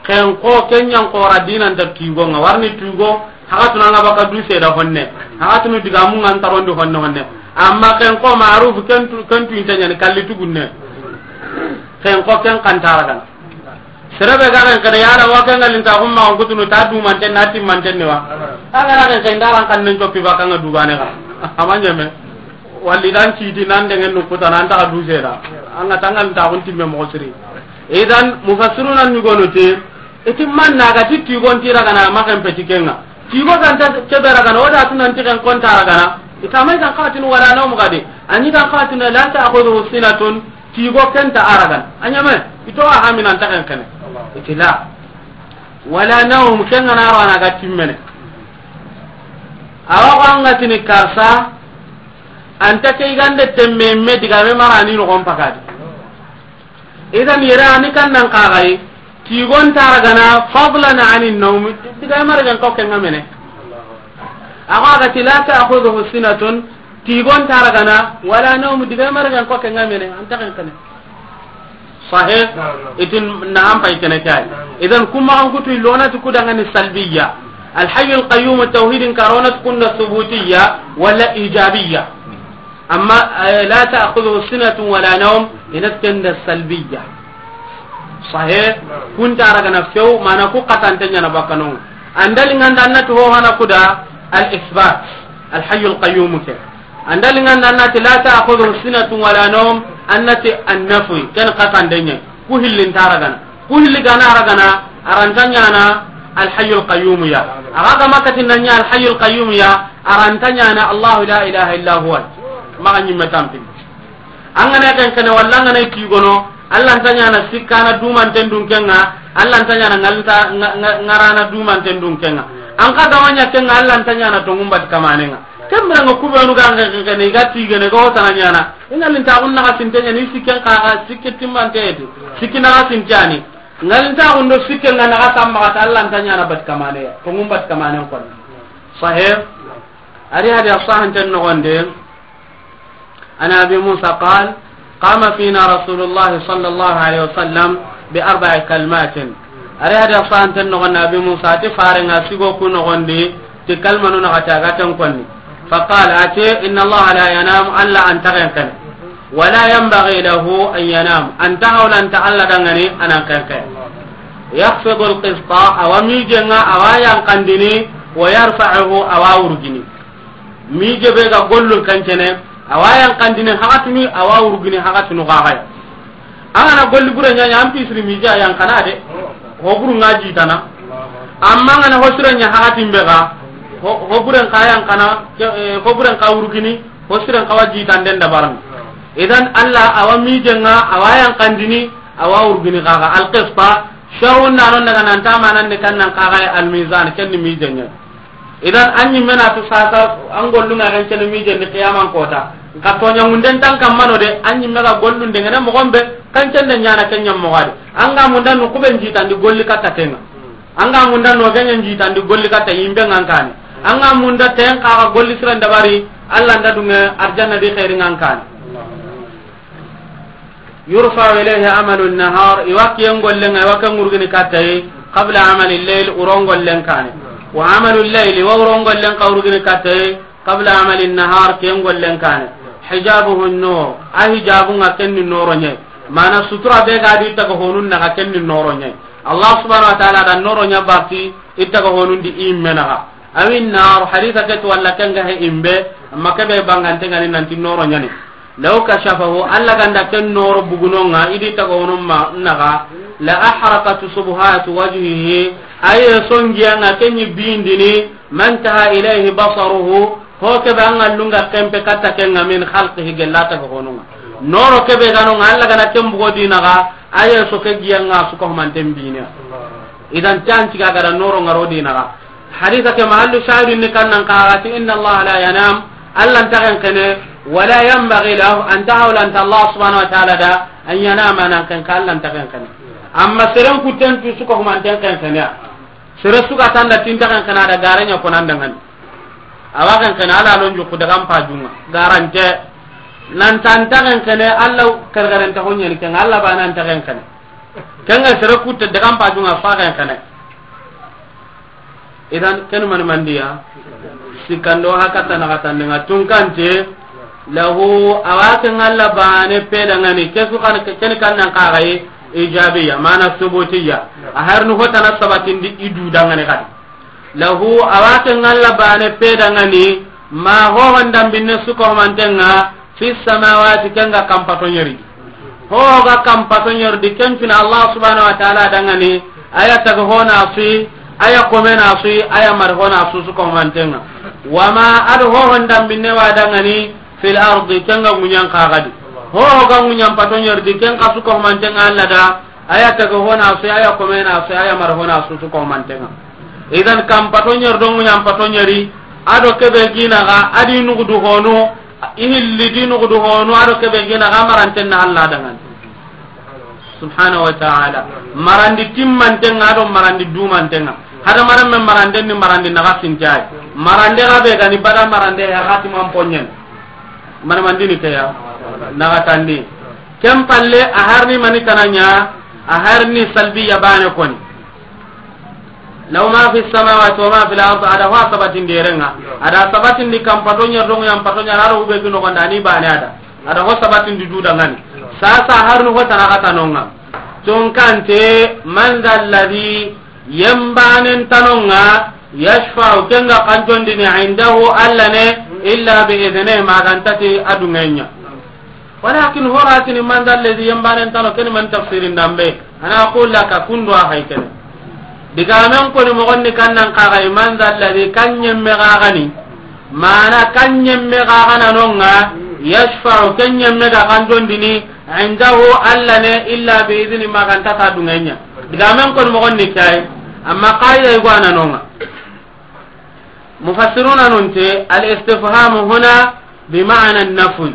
ken ko ken yan ko ra dinan ta tigo nga warni tigo, hakatuna nga baka du seda honne, hakatunu diga mun ngan tarondi honne honne. Amma ken ko ma'ruf ken tu, ken tu intanya ni kalli tugunne. Ken ko ken kan nta ragana. Serebe ga ken kada yala wa ken ngalin ta humma on kutunu ta du manten na tim manten ne wa. Aga ra ken ken daran kan nen joppi baka nga du bane ga. Amanyeme. Walli dan citi nan dengen nu kuta nan ta du seda. Anga tangal ta kun timme mo siri. Idan mufassiruna ni gono te, iti man na ga ti tigon ti ragana ma ken peti kenga. Tigo kan ta ke be ragana, o da tunan ti ken kon ta ragana. Ita mai kan qatin wala nawm gadi. Ani kan qatin la ta'khudhuhu sinatun, tigo ken nta aragana. Anyame, ito a haminan ta ken kene. Iti la. Wala nawm, ken ga na rana ga timmene. Awa ko anga tini karsa, anta ke gande temme me diga me marani no kon pakadi. Idan yere ani kan nan kagai, tigon nta ragana fadlan anin nawm, diga maragan ko ken ngamene. Awa ga ti la ta'khudhuhu sinatun, tigon nta ragana, wala nawm, diga maragan ko ken ngamene, anta ken kene. Sahih? Itin na an pay kene kay. Idan kuma an kutu lona tu kudangani salbiyya. Al Hayyul Qayyum tawhidin karona tu kunda subutiyya wala ijabiyya. Amma, eh, la ta'khudhuhu sinatun wala nawm, ina tenda salbiyya. Sahih? Kunta ragana few, mana ku qatante nyana bakano. Andali nganda annati ho hana kuda al isbat, al hayyul qayyum ke. Andali nganda annati la ta'khudhuhu sinatun wala nawm, annati an nafi, ken qatande nya. Ku hillin ta ragana. Ku hilli gana ragana, aranta nyana al hayyul qayyum ya. Aga ga makati nanya al hayyul qayyum ya, aranta nyana Allahu la ilaha illa huwa. Maga nyimme tampin. An gana ken kene walla an gana i tigono, Allah nta ɲana sikkana dumanten dunkenga, Allah nta ɲana ngalta nga-, nga-, ngarana dumanten dunkenga. An ka gama ɲa kenga, Allah nta ɲana tongumbat kamanenga. Kembira nga kubenu ga nge kene i ga tigene ga hotana ɲana. I ngalinta gunna ga sintenya ni sikken ka ga sikke timmante edi. Sikki na ga sintani. Ngalinta gundo sikken ga na ga samma ga ta Allah nta ɲana bat kamane. Tongumbat kamanen kon. Sahih. Ari hadi asahan ten no gonde. عن أبي موسى قال: قام فينا رسول الله صلى الله عليه وسلم بأربع كلمات. Ari hadi asahan ten no gonde Abi Musa ti farenga sigo ku no gondi ti kalmanu na gata gatan konni. فقال, ati, إن الله لا ينام, Allah an tagen kan. ولا ينبغي له أن ينام, an ta hawla an ta Allah dangani anan kan kan. يخفض القسط, awa mijenga, awa yankandini, ويرفعه, awa urgini. Mije be ga gollun kancene, awa yankandini hakatunu, awa urgini hakatunu gagaya. An gana golli bure ɲaɲa, an pisiri mije a yankana de. Ho buru nga jitana. Amma an gana hosire ɲa hakatin be ga, ho, ho buren ka yankana, ke, eh, ho buren ka urgini, hosiren ka wa jitanden dabarni. Idan Allah awa mijenga, awa yankandini, awa urgini gaga. Al qista, sharun nanon daga nan tamanan de kannan kaga al mizan, kenni mijenga. Idan, an ɲimme na tu sasa, an gollunga kan cene mijen ni qiyaman kota. Nka toɲa munden tan kammano de, an ɲimme ga gollun de ngene mogon be, kan cende ɲana kenya mogadi. An ga munda nu kuben jitandi golli katta kenga. An ga munda no ganya jitandi golli katta yimbe ngankani. An ga munda ten kaga golli siran dabari, Allah nda dunga arjanna di khairi ngankani. يرفع إليه عمل النهار, iwa kiyen gollen, iwa ken urgini kattaye, قبل عمل الليل, uron gollen kane. وعمل الليل, iwa uron gollen ka urgini kattaye, قبل عمل النهار, kiyen gollen kane. حجابه النور, a hijabunga kenni noro ɲe. Mana sutura be ga di taga honun naga kenni noro ɲe. Allah subhanahu wa ta'ala da noro ɲa bati, itaga honun di imme naga. أو النار, hadisa ke to walla kenga he imbe, amma kebe bangante ngani nanti noro ɲani. Law kashafahu, Alla ga nda ken nooro bugunonŋa, i di taga honun ma naxa, la ahraqat subuhatu wajhihi, a ye songiyanŋa ken ɲi bindini, man taha ilayhi basaruhu, ho ke be an ga lunga kempe katta kenŋa min khalqihi gella taga honunŋa. Nooro ke be ga nonŋa, Alla ga na ken bugo di naxa, a ye so ke giyanŋa su ko manten bine. Idan tanti ga ga da nooro ŋa ro di naxa. Hadisa ke mahallu shahidun ni kannan kaga ti, inna Allah la yanam, Alla nta xenqene, wala yanbaghi lahu, anta hawlanta Allah subhanahu wa ta'ala da, an yanama nan xenqe, Alla nta xenqene. Amma seren kutten tu su ko humanten xenqene ya. Sere su ga tanda ti nta xenqene da garanya ko nan dangani. Awa xenqene Alla lon juku daga mpajunŋa. Garante. Nan ta nta xenqene Alla kargaranta honyani kenŋa Alla ba nan ta xenqene. Kenŋa sere kutte daga mpajunŋa fa xenqene. Idan, ken mani mandiya? Sikkando hakata na katandenga tunkante, lahu, awa ken Alla bane pedangani, kesu kan, ken kannan kagaye, ijabiya, mana subutiya. A harnu hotana sabatindi idu dangani kadi. Lahu, awa ken Alla bane pedangani, ma ho hondam binne suko mantenga, fi samawati, ken ga kampato ɲeri. Ho ga kampato ɲeri di, ken fina Allah subhanahu wa ta'ala dangani, aya taga hona sui, aya komena sui, aya mar hona su su ko mantenga. Wama ado ho hondam binne wa dangani, fil ardi, ken ga ŋuɲan kagadi. Ho ga ŋuɲan pato ɲeri di, ken ka su ko mantenga Alla da, aya taga hona sui, aya komena sui, aya mar hona su su ko mantenga. Idan kampato ɲeri do ŋuɲan pato ɲeri, ado kebe gina ga, adi nugudu honu, I hilli di nugudu honu, ado kebe gina ga maranten na Alla dangan. Subhanahu wa ta'ala. Marandi timmantenga, ado marandi dumantenga. Hada maran men maranden ni marandi naga sintai. Marande ga be gani bada marande ya hati man ponyen. Mana mandini ke ya. Naga tandi. Ken palle a harni mani tananya, a harni salbiya bane koni. Lahu ma fi samawati wa ma fil ard, ada ho sabatin derenga. Ada sabatin di kampato ɲa, dongo ɲa, mpato ɲa, aro ube gino gonda ni bane ada. Ada ho sabatin di duda ngani. Sasa harnu ho tanaka tanonga. Tonkante, man dha alladhi, yembanen tanonga, yashfa'u, kenga kanjondini, indahu, Alla ne, illa bi idhnihi, magantati adungenya. Walakin horatini man dha alladhi, yembanen tano, keni man tafsirin dambe. Ana aqul laka, kundo a hay kene. Digamen koni mogonni kannan kagai, man dha alladhi, kan yemme gagani. Mana kan yemme gagana nonga, yashfa'u, ken yemme ga kanjondini, indahu, Alla ne, illa bi idhni, magantata dungenya. Digamen koni mogonni kai, amma qaida igwana nonga. Mufassiruna nunte, al istifhamu huna bi ma'na an-nafy.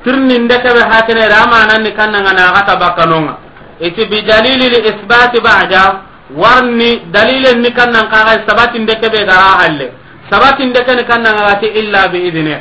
Tirni ndeke be hakene da, amanan ni kannan na gata bakanonga. Iti bi dalili li isbati ba'da, warni dalilen ni kannan kaga sabati ndeke be gara halle. Sabati ndeke ni kannan ga ti illa bi idhni.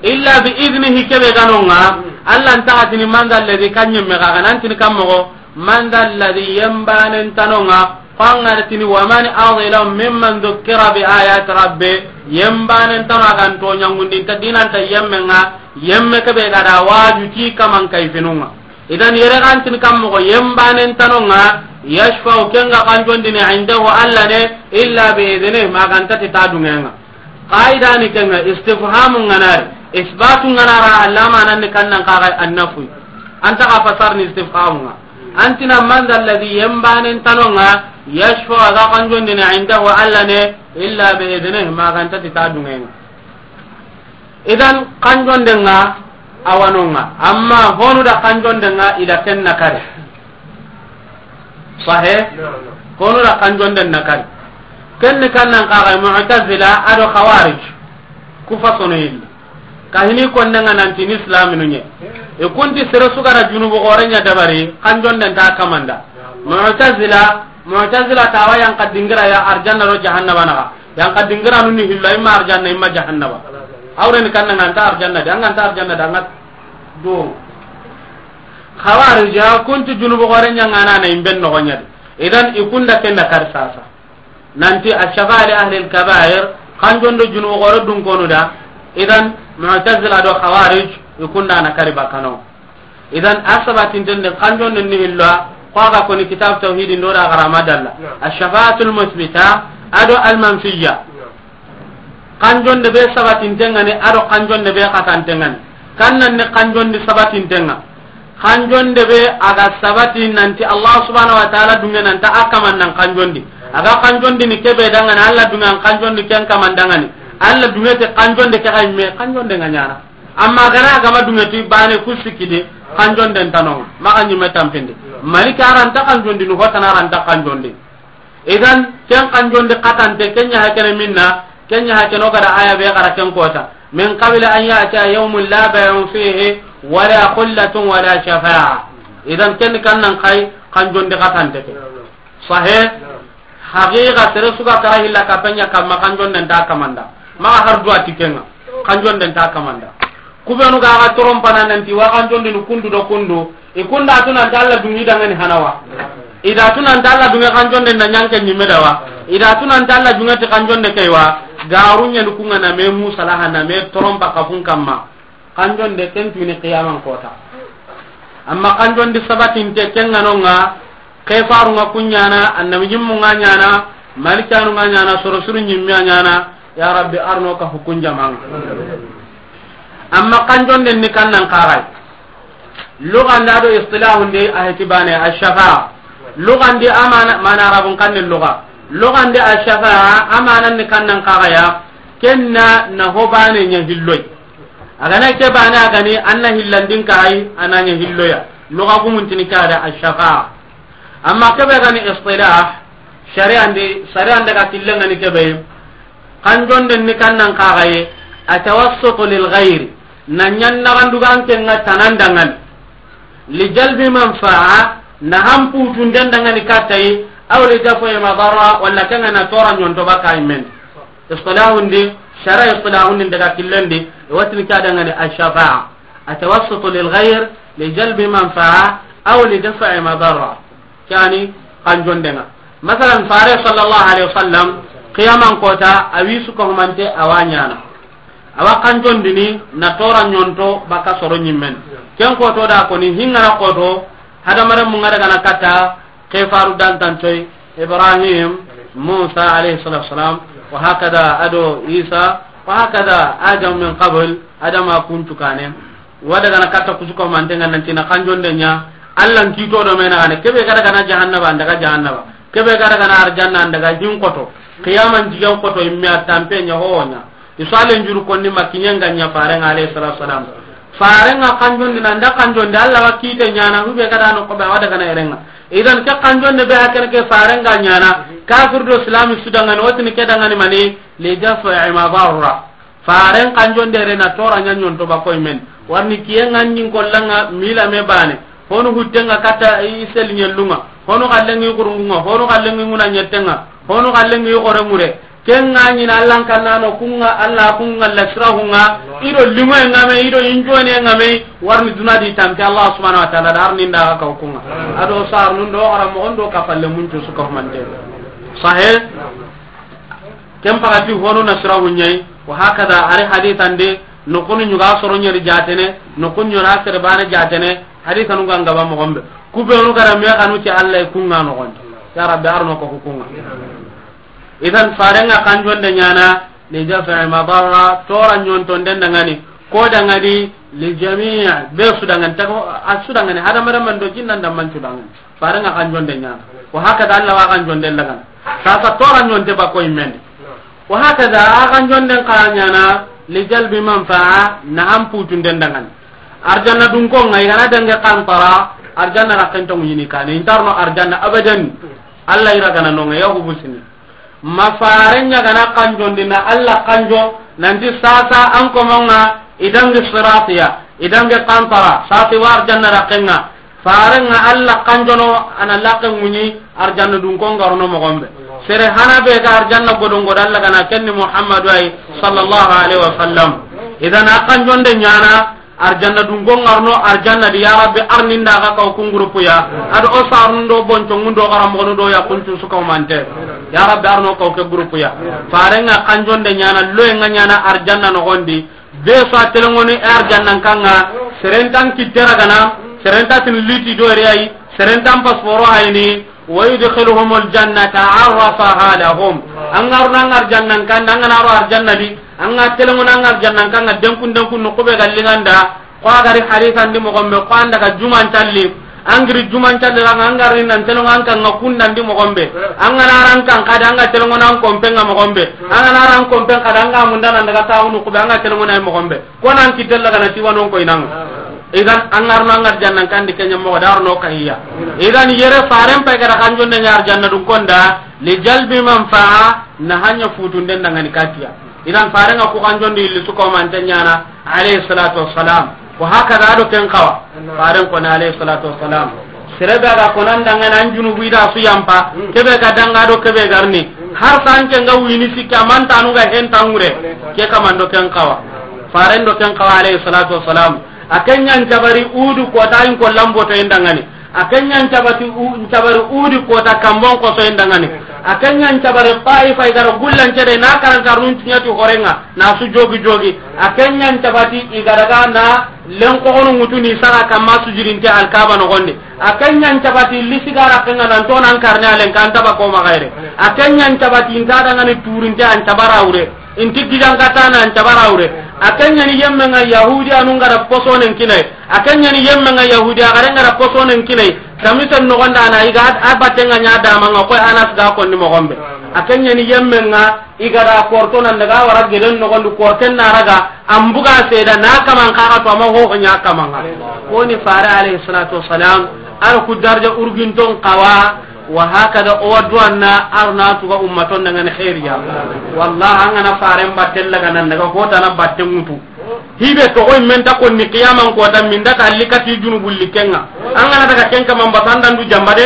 Illa bi idhnihi kebe ganonga, Alla nta gatini man dha alladhi kan yemme ga ganantini kammogo, man dha alladhi yembanen tanonga, Ko an ga tini, wa man azlamu mimman dhukkira bi ayati rabbih, yembanen tano a ga nto ɲangundi ta dinanta yemmenga, yemme kebe ga da waju ti kaman kayfinunga. Idan yere ga tini kammogo yembanen tanonga, yashfa'u kenga kanjondini indahu Alla ne, illa bi idhnihi, magantati ta dungenga. Qaida ni kenga istifhamu nganari, isbatu nganara, Alla manan ni kannan kaga an-nafy. Anta ka fasar ni istifhamu nga. Antina man dha alladhi yembanen tanonga, yashfa'u a ga kanjondini indahu Alla ne, illa bi idhnihi, magantati ta dungenga. Idan kanjondenga awanonga, amma honu da kanjondenga ida ken nakari. Sahe? Honu da kanjonden nakari. Ken ni kannan kaga Mu'tazila ado Khawarij. Kufa sono yilli. Kahini konnenga nanti ni islaminu nye. E kunti sere sugara junubu gore nya dabari, kanjonden ta kamanda. Mu'tazila, Mu'tazila tawa yan ka dingira ya arjanna ro jahannaba naga. Yan ka dingira nuni hilla imma arjanna imma jahannaba. Awre ni kanna nganta arjanna de, nganta arjanna de, ngat do. Khawarija kunti junubu gore nya ngana na imben no gonya de. Idan ikunda kenda kar sasa. Nanti ash-shafa'a li ahli al-kaba'ir, kanjondo junubu gore dun konu da. Idan Mu'tazila do Khawarij, ikunda na kari bakano. Idan asabatinten de kanjondo ni hillo, ko aga koni kitab tawhid ndo da garama dalla. Ash-shafa'atul musbita, ado al-manfiyya. Kanjonde be sabatinten ngani, ado kanjonde be katanten ngani. Kan nan ni kanjondi sabatinten ŋa. Kanjonde be a ga sabati nanti Allah subhanahu wa ta'ala dunŋe nanta a kaman nan kanjondi. A ga kanjondi ni kebe dangani Allah dunŋe an kanjondi ken kaman dangani. Allah dunŋe te kanjonde ke ga yimme kanjonde ŋa ɲaana. Amma gana gama dunŋe ti bane kusikide kanjonden ta no. Maxa ɲimme tampindi. Maliki a ra nta kanjondi ni hotana a ra nta kanjondi. Idan ken kanjondi katante ken ɲa hakene minna, ken ɲa hakene o ga da aya be ga ra ken kota. Min qabli an ya'tiya yawmun la bay'un fihi wala khullatun wala shafa'a. Idan ken kan nan kay kanjondi katante ke. Sahe. Haqiqa sere su ga kara hilla kapenya kamma kanjonden ta kamanda. Maxa har duwa ti ken ŋa. Kanjonden ta kamanda. Kubenu ga ga torompana nanti wa kanjondini kundu do kundu. I kunda tu nanti Allah dunŋi dangani hanawa. I da tu nanti Allah dunŋe kanjonde na ɲanke ɲimme dawa. I da tu nanti Allah dunŋe ti kanjonde kaywa. Garu ɲani kunŋa na me musalaha na me torompa kafun kamma. Kanjonde ken tuni qiyaman kota. Amma kanjondi sabatinte ken ŋa no ŋa. Ke faru ŋa kuɲana, annabi ɲimmu ŋa ɲana, malikanu ŋa ɲana, soro suru ɲimme a ɲana. Ya Rabbi arno ka hukun jamanga. Amma kanjonden ni kan nan kaxay. Lugandi a do istilahundi a heti bane ashafa'a. Lugandi amana mana arabun kanni luga. Lugandi ashafa'a amanan ni kan nan kaxaya. Kenna na ho bane ɲa hilloy. A gana ke bane a gani anna hillandin kaxay ana ɲa hilloya. Luga gumuntini kada ashafa'a. Amma kebe gani istilah shari'andi shari'an daga killengani kebe. Kanjonden ni kan nan kaxaye, atawassutu lil ghayri, na ɲan naxandugan ke ŋa tanan dangani, li jalbi manfa'a, na hanputunden dangani kattayi, aw li daf'i madarra, walla ke ŋa na tora ɲonto baka men. Istilahundi, shara istilahundi daga killendi, watini ka dangani ashafa'a, atawassutu lil ghayr li jalbi manfa'a aw li daf'i madarra. Kani kanjondenga. Masalan, fare sallallahu alaihi wasallam, qiyaman kota, a wi su ko humante a wa ɲana. A wa kanjondini na tora ɲonto baka soro ɲimmen. Ken koto da koni hingara koto, hadamare mun ga daga na kata, ke faru dantantoy, Ibrahim, Musa alayhi salatu wasalam, wa hakada ado Isa, wa hakada Adam min qabl, Adama kuntu kane. Wa daga na katta kusuko mantenga nanti na kanjonde ɲa, Allah n kito do mena gane, kebe ga daga na jahannaba, an daga jahannaba, kebe ga daga na arjanna, an daga hin koto, qiyaman jigen koto, imme a tampe ɲa ho ɲa. Isalen juru konni ma kiɲen ga ɲa farenga alayhi salatu wasalam. Farenga kanjondi na nda kanjondi, Allah wa kite ɲana, hube ga da no ko be wa daga na erenga. Idan ke kanjonde be hakene ke farenga ɲana, kafir do islami su dangani, watini ke dangani mani, li daf'i madarra. Faren kanjonde re na tora ɲa ɲonto ba koy men. Warni kiyen ŋa ɲin kollanga mila me bane. Honu huttenga kata i sel ɲellunga. Honu kallengi kurungunga. Honu kallengi nguna ɲettenga. Honu kallengi xore mure. Ken ŋa ɲina Allah n kannano kunga, Allah kunga, la sirahunga. Ido limoye ŋa me, ido injone ŋa me. Warni duna di tampi Allah subhanahu wa ta'ala da arni nda ka kunga. Ado sar nun do xara mo ondo ka falle mun cu su ka humante. Sahe. Ken pagati honu na sirahu ɲayi, wa hakada ari hadithan de, nokunu ɲuga soro ɲeri jatene, nokunu ɲora sere bana jatene, hadithanu ga ngaba mo gombe. Kubenu gara me kanu ti Allah kunga no gonde. Ya Rabbi arno ko kunga. Idan farenga kanjonde ɲana, li daf'i madarra, tora ɲonton den dangani, ko dangani, li jami' be su dangani, tago a su dangani, hadamare man do jinnan da man su dangani. Farenga kanjonde ɲana. Wa hakada Allah wa kanjonde lagana. Sasa tora ɲonte ba koy men. Wa hakada a kanjonden ka ɲana li jalbi manfa'a na hanputunden dangani. Arjanna dun ko ngai gana dange kantara, arjanna ra kento ɲini kane. Intarno arjanna abadan. Allah ira gana no ngai ya hubusini. Ma faren ɲa gana kanjondi na Allah kanjo, nanti sasa an komonga idangi siratiya, idangi kantara, sati wa arjanna rakenga. Faren ŋa Allah kanjono ana laken ŋuɲi arjanna dun ko ngarono mo gombe. Sere hana be ga arjanna godon godo Allah gana kenni Muhammadu ay sallallahu alaihi wasallam. Idan a kanjonde ɲana, arjanna dun ko ngarno arjanna di, ya Rabbi arni nda ga kaw kun groupe ya. Ado o sarun do bonco ngundo garam gono do ya kuntu su kaw mante. Ya Rabbi arno kaw ke groupe ya. Faren ŋa kanjonde ɲana, loye ŋa ɲana arjanna no gondi. Be so a telengoni arjanna kanga, serentan kittera gana, serenta tin liti do rei, serentan pasporo hayni. Wa yudkhiluhumul jannata arrafaha lahum. An ga ro na arjanna kanda, an ga na ro arjanna di, an ga telengo na arjanna kanda, denkun denkun no kube gallinganda, Ko a gari hadisan di moxo be, ko an daga juman calli, an giri juman calli ra, an gari nan telongo an kan ŋa kundan di moxo be, an ga na ran kan xadi, an ga telongo nan kompen ŋa moxo be, an ga na ran kompen xadi, an ga munda nan daga taxunu kube, an ga telongo na moxo be. Ko nan kitella ga na tiwanon ko inanga. Idan an ga ro no an ga jannan kan di kenya moxo daro no kahiya. Idan yere faren pay ga da kanjonde ɲa arjanna dun konda, li jalbi manfa'a, na hanya futunden dangani katiya. Idan faren ŋa ku kanjondi illi su ko mante ɲana, alayhi salatu wassalam. Wa hakada ado ken kawa. Faren ko na alayhi salatu wassalam. Sere be ga ko nan dangana an junubu ida su yampa. Kebe ga danga do kebe garni. Har san ke nga wini sikka mantanu ga hen tangure. Ke kamando ken kawa. Faren do ken kawa alayhi salatu wassalam. A ken ɲan cabari udu kota in ko lamboto en dangani. A ken ɲan cabati u-, ɲan cabari udi kota kambon koso en dangani. A ken ɲan cabari Taifa i gara gullan cede na karankarnun tiɲati horenga na su jogi jogi. A ken ɲan cabati i gara ga na len kogono ŋutuni saga kamma sujudinte Alkaba nogondi. A ken ɲan cabati lisigara kenga nan tonan karne alen kan taba ko magaire. A ken ɲan cabati inta dangani turinte an cabara ure. Inti gijankatana an cabara wure. A ken ɲani yemme nga Yahudi anu nga da posonen kinai. A ken ɲani yemme nga Yahudi a gare nga da posonen kinai. Kamisen nogonda na iga a batenga ɲa dama nga koy Anas ga konni mogombe. A ken ɲani yemme nga i ga da korto nan daga wara gelen nogondi korten na raga an buga seda na kaman kaga to ama ho ho ɲa kaman nga. Koni fare alayhi salatu wassalam ar ku darja urginton kawa. Wa hakada o wa duwanna arna tuga ummaton dangani khairiya. Wallah an gana faren batten laga nan daga kota na batten mutu. Hibe to koy men ta konni qiyaman kota min da ta likati junubul likenga. An gana daga kenka man batandan du jamba de.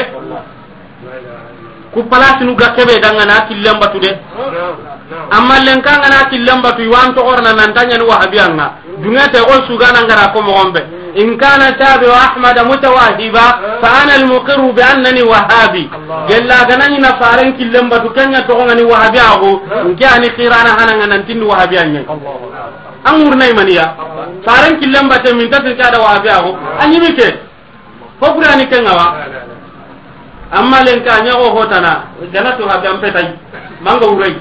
Ku palasinu ga kebe dangana killen batu de. Amma lenka ngana killen batu iwan to orna nan tanya ni wahabiya nga. Dunge te ko sugana ngara ko mogombe. In kana tabi wa Ahmad mutawahiba fa ana al-muqirru bi annani wahabi. Gella ganani na faren killen batu kenya to ngani wahabi ago. Nki ani qirana hananga nan tin wahabi anye. An murna imaniya. Faren killen batu min tatin kada wahabi ago. Anyi mi ke. Ko Qur'ani ken ŋa wa. Amma lenka ɲa go hotana, gana to ha be an petay. Manga wuray.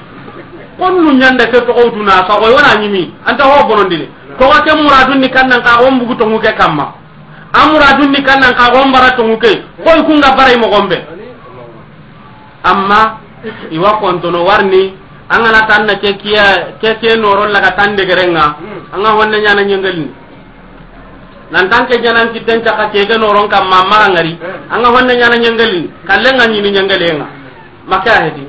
Konnu ɲanda ke to ko duna sa ko wona ɲimi. Anta ho bonondini. To ko ke muradun ni kannan ka go mbugu to ŋuke kamma. Amuradun ni kannan ka go mbara to ŋuke. Koy kunga baray mo gombe. Amma iwa kontono warni, an gana tanna ke kiya, ke ke noron laga tan degerenga, an ga honne ɲana ɲengelini. Nan tan ke ɲanan kitten caka ke ke noron kamma maga ngari, an ga honne ɲana ɲengelini, kallenga ɲini ɲengelenga. Maka hedi.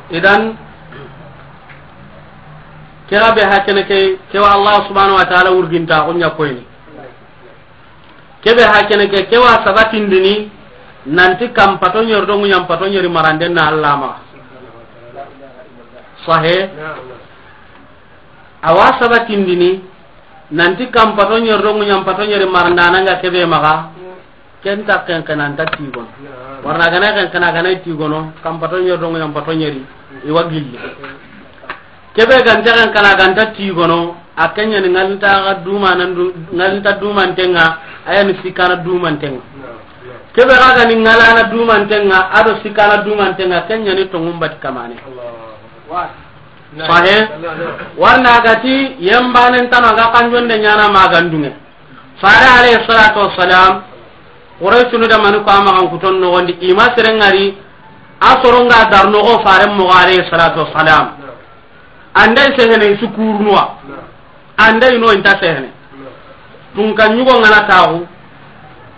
Idan, kera be hakene ke, kewa Allah subhanahu wa ta'ala urginta ko ɲa koyni. Kebe hakene ke, kewa sabatindini, nanti kam pato ɲeri do ŋuɲan pato ɲeri maranden na Allah ma. Sahe. Awa sabatindini, nanti kam pato ɲeri do ŋuɲan pato ɲeri marandana nga kebe maga. Ken ta ken kana nta tigono. Warna gana ken kana gana tigono, kam pato ɲeri do ŋuɲan pato ɲeri, iwa gilli. Kebe ganta kan kana ganta tigono, a kenya ni ngalta ga duma nan du, ngalta duma ntenga, aya ni sikana duma ntenga. Kebe ga ni ngalana duma ntenga, ado sikana duma ntenga, kenya ni tongum bat kamane. Sahe? Warna gati, yembanen tano ga kanjonde ɲana magandunge. Fare alayhi salatu wassalam, Qurayshunu da mani ko amagan kuton nogondi, ima serengari, a soronga dar nogo fare mogo alayhi salatu wassalam. Andai sehene su kurunuwa. Andai no inta sehene. Tunka ɲugo ngana taxu.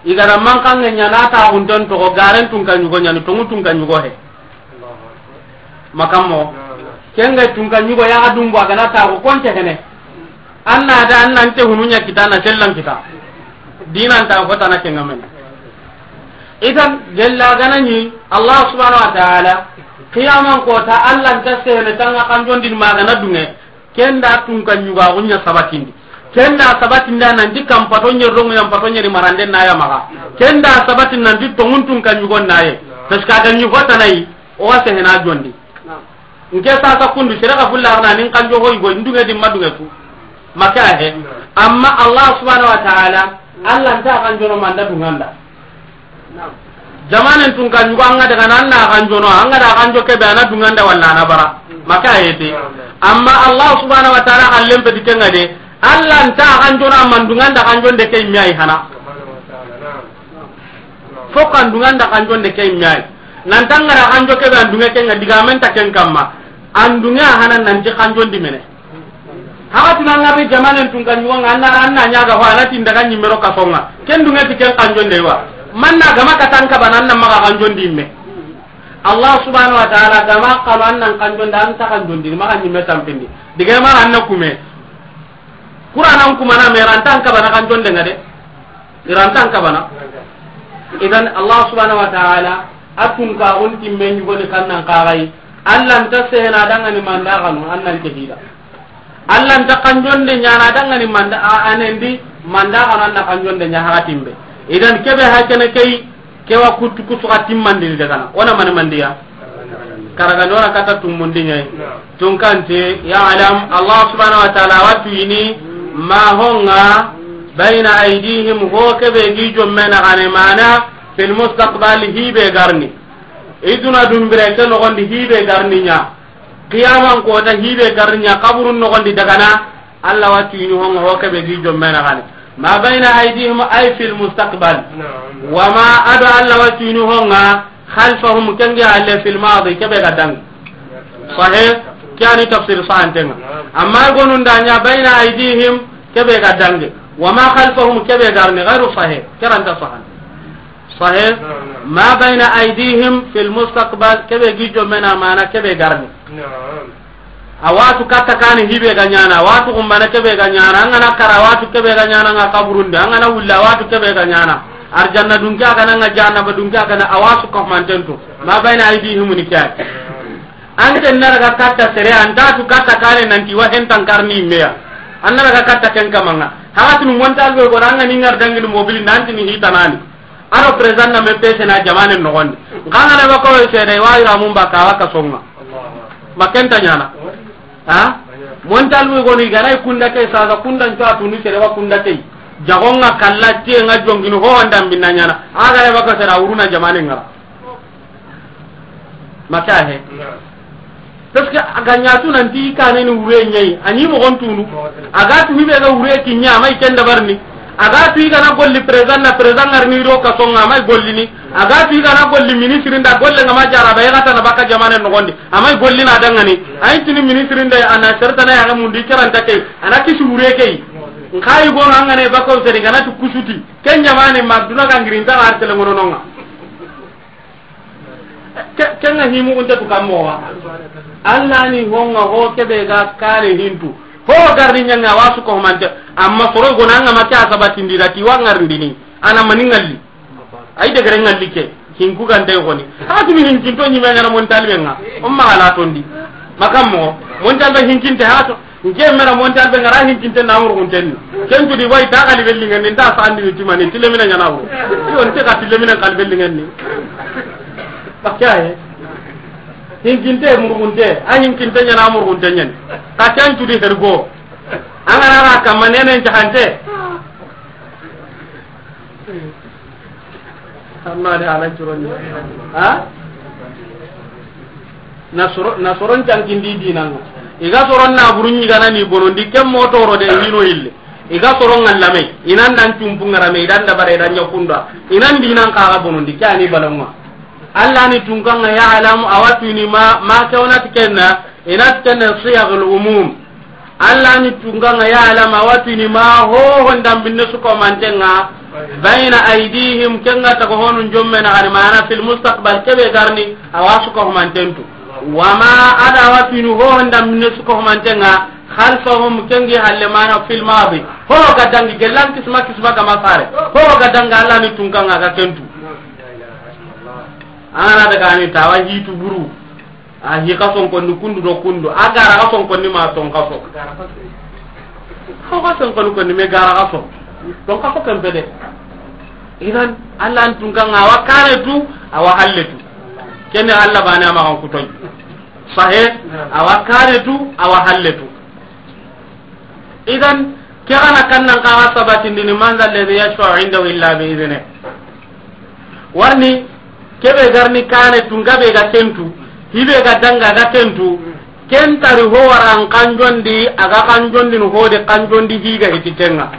Igara mankange ɲana taxu nton togo garen tunka ɲugo ɲani tongu tunka ɲugo he. Makammo. Kenga tunka ɲugo ya adumbu agana taxu konte hene. Anna da anna nte hunu ɲa kita na sellan kita. Dinan ta ko tana kenga men. Idan gella gana ni Allah subhanahu wa ta'ala qiyaman kota Allah nta sehene tanga kanjondin magana dunge. Kenda tunka ɲuga gunya sabatindi. Kenda sabatindi nanti kam pato ɲeri do ŋuɲan pato ɲeri maranden na ya maga. Kenda sabatin nanti tongun tunka ɲugo naye. Parce que aga ɲugo tanai. O wa sehena jondi. Nke sasa kundu sere ga fulla arna nin kanjo hoy go ndunge di madunge tu. Maka he. Amma Allah subhanahu wa ta'ala, Allah nta kanjono manda dunganda. Jamanen tunka ɲugo anga daga nan na kanjono, anga da kanjo kebe ana dunganda walla ana bara. Maka yete. Amma Allah subhanahu wa ta'ala xallen peti kenga de. Allah nta xanjona mandunganda xanjonde ke imme ay hana. Fo kandunganda xanjonde ke imme ay. Nantangara xanjo kebe andunge kenga digamen ta ken kamma. Andunge a hana nanti xanjondi mene. Haga tuna ngari jamanen tun kan yuwa nga anna ran na nyaga ho anati ndaga nyimero kasonga. Ken dunge ti ken xanjonde wa. Manna gama katan kabana anna maga xanjondi imme. Allah subhanahu wa ta'ala gama xalu annan xanjonda anta xanjondi maga nyimme tampindi. Dige maga anna kume. Qur'anan kumana me rantan kabana xanjonde nga de. Irantan kabana. Idan Allah subhanahu wa ta'ala atun ka on timme nyugoni kannan kagai. Allah nta sehena dangani manda kanu annan ke hida. Allah nta kanjonde nyana dangani manda a anendi manda kanu anna kanjonde nya hatimbe. Idan kebe hakene kei kewa kuttu kusuka timmandini dagana. Ona mani mandiya. Karaga nora kata tumundi nyai. Tunkante ya alam Allah subhanahu wa ta'ala watu ini ma honga baina aidihim ho kebe gi jomme na gane mana fil mustaqbal hibe garni. Iduna dumbire ke nogondi hibe garni nya. Qiyaman kota hibe garni nya kaburun nogondi dagana. Allah watu ini honga ho kebe gi jomme na gane. Ma baina aidihim ay fil mustaqbal. Wa ma ada Allah watu ini honga khalfahum kengi halle fil madi kebe ga dangi. Sahih. Kiyani tafsir sahantenga. Amma gonun da nya baina aidihim kebe ga dangi. Wa ma khalfahum kebe garni ghairu sahih. Keranta sahan. Sahih. Ma baina aidihim fil mustaqbal kebe gi jomme na mana kebe garni. Awatu katta kani hibe ga nyana awatu kumbana kebe ga nyana angana kara awatu kebe ga nyana nga kaburunde angana wulla awatu kebe ga nyana. Arjanna dunke akana nga jahannaba dunke akana awasu kahmantentu. Ma baina aidihim ni kya. Anke naraga katta sere antatu katta kane nanti wa hentan karni meya. Annaraga katta ken kamanga. Hawatinu montal be goranga ni ngar dangini mobili nanti ni hitanani. Aro président na me pese na jamane nogondi. Nkanga na bako sere wa ira mun baka waka songa. Makenta nyana. Ha? Montal be gonu igana kunda ke sasa kunda nto atunu sere wa kunda ke. Jagonga kalla tie nga jongini ho wanda mbinna nyana. Aga ya baka sere uruna jamane ngara. Maka he. Parce que a ga ɲa tu nanti i kane ni wure ɲa yi, a ɲi moxon tunu. A ga tu hibe ga wure ki ɲa, a ma i ken dabarini. A ga tu i ga na golli président na, président ŋarini do ka songa, a ma i gollini. A ga tu i ga na golli ministre nda, golle nga ma jara ba, i ga ta na baka jamane noxondi, a ma i gollini a dangani. A yi tini ministre nda, a na sertana ya ga mundi caranta ke, a na kisi wure ke yi. Nxa yi gono a ŋa ne bako seri ga na tu kusuti. Ken jamane ma duna ga ngirinta ga artele ngono nonga. Ke, ke nga himu unta tu kammo wa. Allah ni honga ho kebe ga kare hintu. Ho garni ɲanga wasu ko mante. Amma soro gona nga ma kya sabatindi da ti wa ngarndini. Ana mani ngalli. Ay de gare ngalli ke. Hinku gante goni. Ha tu mi hinkinto ni me ngana mon talbe nga. Umma ala tondi. Makammo. Mon talbe hinkinte ha to. Nke mera montal be ngara hinkinte na murgunten ni. Ken tu di way ta kali belli ngani nda sandi ni timani tilemina ɲana wuro. Yo nte ka tilemina kali belli ngani. Bakya he. Hinkinte murgunte, a hinkinte ɲana murgunte ɲani. Ka ken tu di hergo. Angana ra kamane ne jahante. Amma de ala curon ha? Na soro, na soron cankindi dinanga. I ga soron na burun ɲi gana ni bonondi ken mo toro de hino ille. I ga soron ngallame, inan dan cumpu ngarame, idan dabare, idan ɲakunda. Inan dinan kaga bonondi, ke ani balanwa. Allah ni tunkanga ya alamu awatuni ma, ma kewna tikenna, ina tikenna siyagul umum. Allah ni tunganga ya alama watini ma ho honda binne su ko mantenga. Bayna aydihim, kenga tago honun jomme na gani mana fil mustaqbal kebe garni awa su ko mantentu. Wama ada watini ho honda binne su ko mantenga. Khalfahum, kengi halle mana fil madi. Ho ga dangi gelan kisma kisma ga masare. Ho ga danga Allah ni tunganga ga kentu. Ana daga ni tawa hitu buru. A hi kason konni kundu do kundu. A gara kason konni ma ton kaso. Ho kason konni konni me gara kaso. Ton kaso kan bede. Idan Allah an tun kan awa kare tu, awa halle tu. Kene Allah bana ma kan kutoy. Sahe, awa kare tu, awa halle tu. Idan, ke gana kannan kaga sabatindini, man dha alladhi yashfa'u indahu illa bi idhnih. Warni, kebe garni kane tu, ngabe ga tentu, hibe ga danga ga tentu, Ken tari ho waran kanjondi, a ga kanjondini ho de kanjondi higa hiti kenga.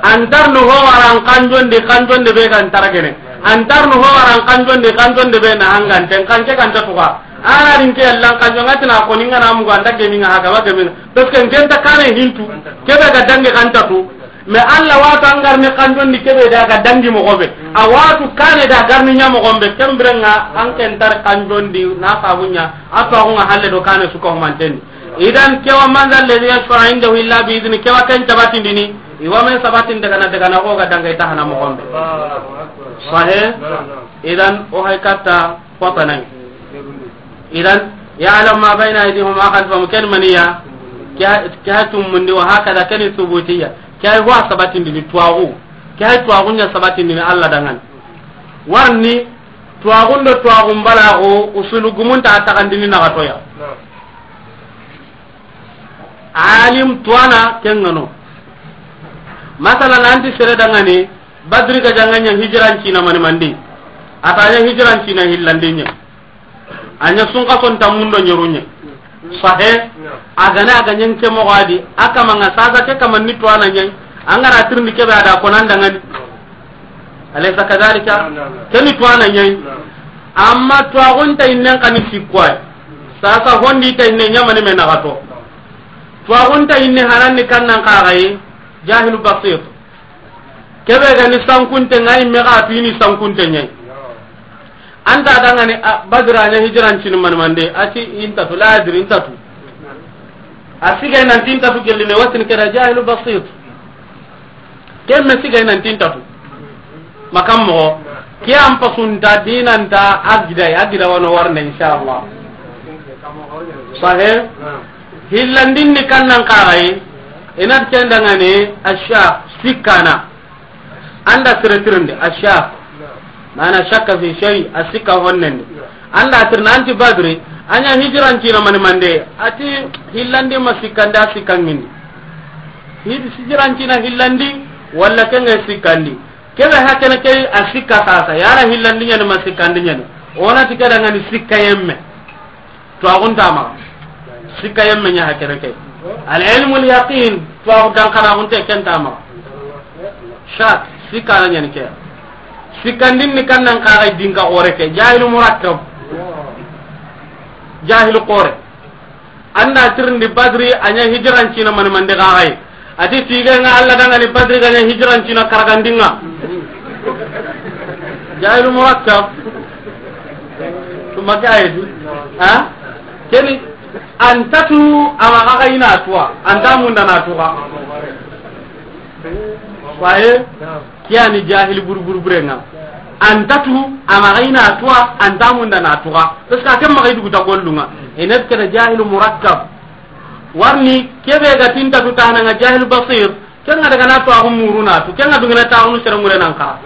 Antarni ho waran kanjondi, kanjonde be ga ntaragene. Antarni ho waran kanjondi, kanjonde be na hanganten, kanke kanta tuga. Ana rinke yallan kanjonga tina ko ninga na mugo anda geminga haga ba geminga. Parce que ken ta kane hintu, kebe ga dange kanta tu. Mais Allah watu an garni kanjondi kebe da ga dangi moxo be. A watu kane da garni ɲa moxo be. Kembirenga an ken tar kanjondi na fabunya. A to agunga halle do kane suko manten. Idan kewa man zal ladhi yashfa'u indahu illa bi idhni, kewa ken tabatindini. Iwa men sabatin daga na daga na ko ga danga ita hana moxo be. Sahe. Idan o hay katta. Fotanai. Idan, ya'lam ma bayna aydihim wa ma khalfahum, ken maniya, ke ha tumundi, wa hakada, ken subutiya, ke ha wa sabatindini tuwaxu, ke ha tuwaxu ɲa sabatindini Allah dangan. Warni, tuwaxun do tuwaxun balaxu, usulu gumunta a taxandini naxatoya. Alim tuwana kengano. Masalan, anti sere dangani, Badri ga janga ɲa hijirancina mani mandi. A ta ɲa hijirancina hillandi ɲa. A ɲa sunka son tammundo ɲeru ɲa. Sahe. A gana a ga ɲen ke moxo adi. A kamanga sasa ke kamanni tuwana ɲa. Angara tirindi kebe a da konan dangani. Alaysa kadhalika? Keni tuwana ɲa. Amma tuwaxunta innen kani sikkoy. Sasa hondi ta inne ɲamani me naxato. Tuwaxunta inne hananni kannan kaxayi. Jahilu basit. Kebe ga ni sankunte ŋa, i me ga tu i ni sankunte ɲa yi. Anta dangani, a, Badri a ɲa hijirancini mani mande, a ti i nta tu, la adri, i nta tu. A siga i nanti i nta tu gelli me, watini keda jahilu basit. Ken me siga i nanti i nta tu. Makam moxo. Ke an pasunta dinanta a gida, a gida wano warne, inshallah. Sahe? Hillandin ni kannan kaxayi, i na ti ken dangani, asha, sikkana. Anda sere tirindi, asha. Mana shakka fi shay, a sikka honnendi. Anda tirna anti Badri, a ɲa hijirancina mani mande, a ti hillandi ma sikkandi, a sikkangindi. Hijirancina hillandi, walla kenge sikkandi. Kebe hakene ke a sikka sasa, yara hillandi ɲani ma sikkandi ɲani. Ona ti keda ŋani sikka yemme. Tuwaxunta maxa. Sikka yemme ɲa hakene ke. Al ilmul yaqin, tuwaxu dankanaxunte kenta maxa. Shak, sikka na ɲani ke. Sikkandin ni kannan kaxay dinka xore ke. Jahilu murakkab. Jahilu xore. Anda tirindi Badri a ɲa hijirancina mani mande kaxay. A ti tigenga Allah dangani Badri ga ɲa hijirancina karagandinga. Jahilu murakkab. Tuma ke ayeti. Ha? Keni antatu ama kaga ina tuwa. Anta munda na tuwa. Waye? Kiyani jahili buru buru burenga. Antatu ama kaga ina tuwa, anta munda na tuwa. Parce que a ke maxa i dugu ta gollunga. Enet keda jahilu murakkab. Warni kebe ga tinta tu tananga jahil basir. Kenga daga na to agu muruna tu. Kenga dungena ta agu sere mure nan ka.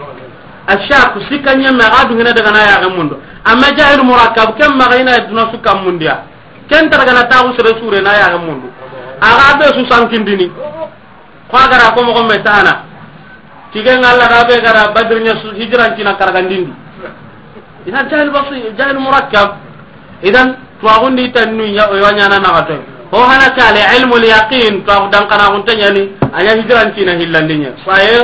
Ashak sikka ɲemme ga dungena daga na ya ga mundo. Amma jahil murakkab ken maxa ina duna sukka mundiya. Ken ta daga na ta agu sere sure na ya ga mundo. Aga be su sankindini. Ko a gara ko moxo me tana. Tigen Allah da be gara Badr ɲa su hijran tina karagandindi. Idan jahil basi, jahil murakkab. Idan tuwaxundi tannu ya, ya ɲana na gato. Ho hana kale ilmul yaqin, tuwaxu dankanaxunte ɲani, a ɲa hijran tina hillandiɲe. Saye,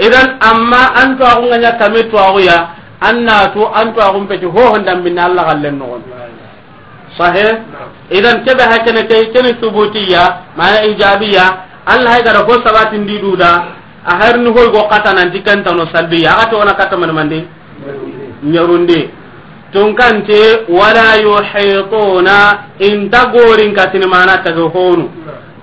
idan amma an tuwaxu nga ɲa kame tuwaxu ya, an na tu an tuwaxun peti ho hondan binna Allah gallen noxon. Sahe? Idan kebe hakene ke, keni subutiya, mana ijabiya, Allah hay gara ho sabatin di duda, a harni hoy go kata nanti kentano salbiya, aga to ona kata man mande? Ɲarundi. Tunkante, wala yuhituna, inta gorin katini mana taga honu.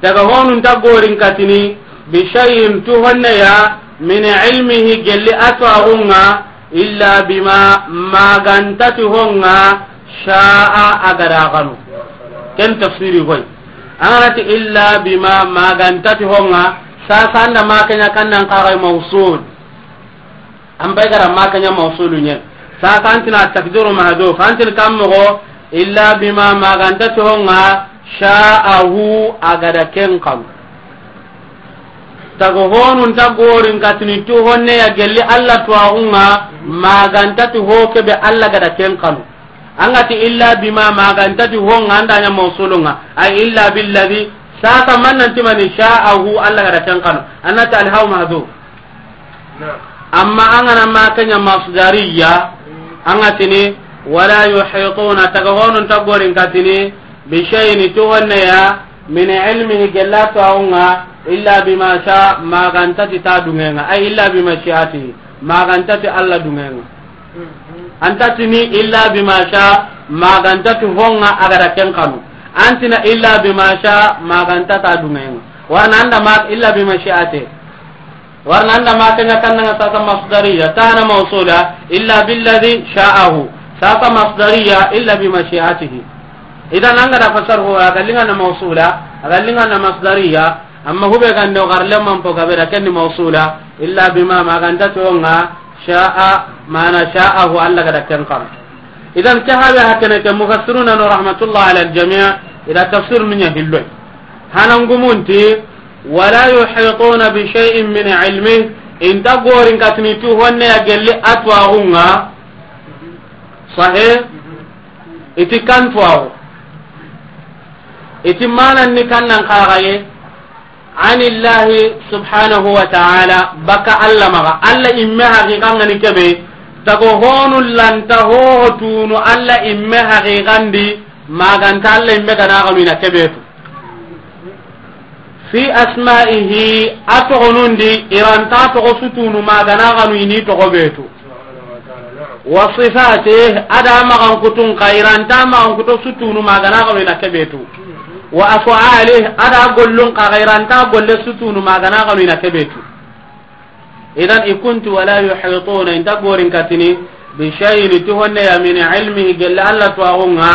Taga honu inta gorin katini, bi shay'in tu honne ya, min ilmihi gelli atwaxunga, illa bima magantati honga sha'a agada ganu. Ken tafsiri koy. Anganati illa bima magantati honga, sasa anda makanya kannan kagai mausul. An bay gara makanya mausulu nye. Sasa antina takdiru mahduf. Antin kammogo illa bima magantati honga sha'ahu agada ken kanu. Tago honun ta gorin katini tu honne ya gelli Allah tuwaxunga, magantati ho kebe Allah gada ken kanu. An ga ti illa bima, ma ga nta ti ho ŋa, an da ɲa mawsulun ŋa. Ay illa billadhi, sasa man nan ti mani, sha'ahu, Alla ga da ken xanu. An na ti alhaw mahdu. Amma an ga na ma ken ɲa masdariya, an ga tini, wala yuhituna, taga honu nta gorin katini, bi shay'in, ti honne ya, min ilmihi, gella tuwaxu ŋa, illa bima sha, ma ga nta ti ta duŋe ŋa, ay illa bi mashi'atihi, ma ga nta ti Alla duŋe ŋa. An ta tini illa bima sha, ma ga nta ti ho ŋa a ga da ken xanu. An ti na illa bima sha, ma ga nta ta duŋe ŋa. Wa ra na an da ma illa bi mashi'atihi. Wa ra na an da ma ken ɲa kan ŋa sasa masdariya, ta na mawsula, illa billadhi sha'ahu. Sasa masdariya, illa bi mashi'atihi. Idan an ga da fasar ho, a ga liŋa na mawsula, a ga liŋa na masdariya, amma hube ga nde o gar lemman po ga be da ken ni mawsula, illa bima, ma ga nta ti ho ŋa, sha'a, mana sha'ahu, Alla ga da ken xanu. Idan ke habe hakene ke mufassiruna no rahmatullah ala aljami', i da tafsir nu ɲa hilloy. Hanan gumunti, wala yuhituna bi shay'in min ilmihi, i nta gorin katini ti honne ya gelli a tuwaxu ŋa. Sahih? I ti kan tuwaxu. I ti manan ni kan nan xaxaye. Anillahi subhanahu wa ta'ala, baka Alla maxa. Alla imme haqiqa ŋa ni kebe. Tago honu lanta ho tunu Alla imme haqiqan di, ma ga nta Alla imme ga na xanu i na kebe tu. Fi asma'ihi, a toxonun di, i ra nta toxo su tunu ma ga na xanu i ni toxo be tu. Wa sifatihi, a da maxankutun xa, i ra nta maxankuto su tunu ma ga na xanu i na kebe tu. Wa af'alihi, a da gollun xa, i ra nta golle su tunu ma ga na xanu i na kebe tu. Idan i kunti wala yuhituna, i nta gorin katini, bi shay'in, ti honne ya, min ilmihi, gelli Alla tuwaxu ŋa,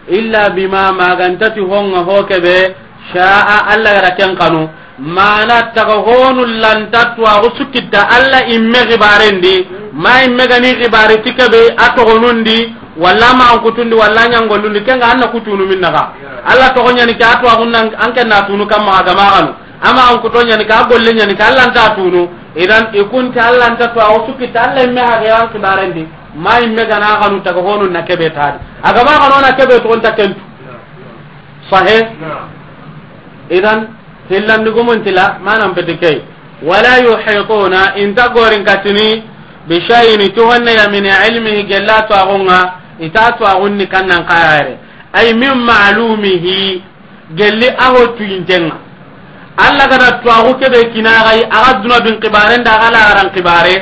illa bima, ma ga nta ti ho ŋa ho kebe, sha'a, Alla ga da ken xanu. Mana taga honu lanta tuwaxu su kita Alla imme xibaren di, ma imme ga ni xibari ti kebe a toxonun di, walla ma an kutun di, walla ɲangolun di, ken ŋa an na kutunu min naxa. Alla toxo ɲa ni ke a tuwaxun nan, an ken na tunu kan maxa ga ma xanu. Ama an kuto ɲa ni ke, a golle ɲa ni ke, Alla nta tunu. Idan i kunti Alla nta tuwaxu su kita Alla imme haqiqan xibaren di, ma imme ga na xanu taga honu na kebe ta di. A ga ma xanu na kebe tu, o nta ken tu. Sahih? Idan, hillandi gumun ti la, manan peti key. Wala yuhituna, i nta gorin katini, bi shay'in, ti honne ya, min ilmihi, gella tuwaxu ŋa, i ta tuwaxun ni kan nan xayare. Ay min ma'lumihi, gelli a ho tuyinten ŋa. Alla ga da tuwaxu kebe kina a ga yi, a ga duna bin xibaren da, a ga laxaran xibare.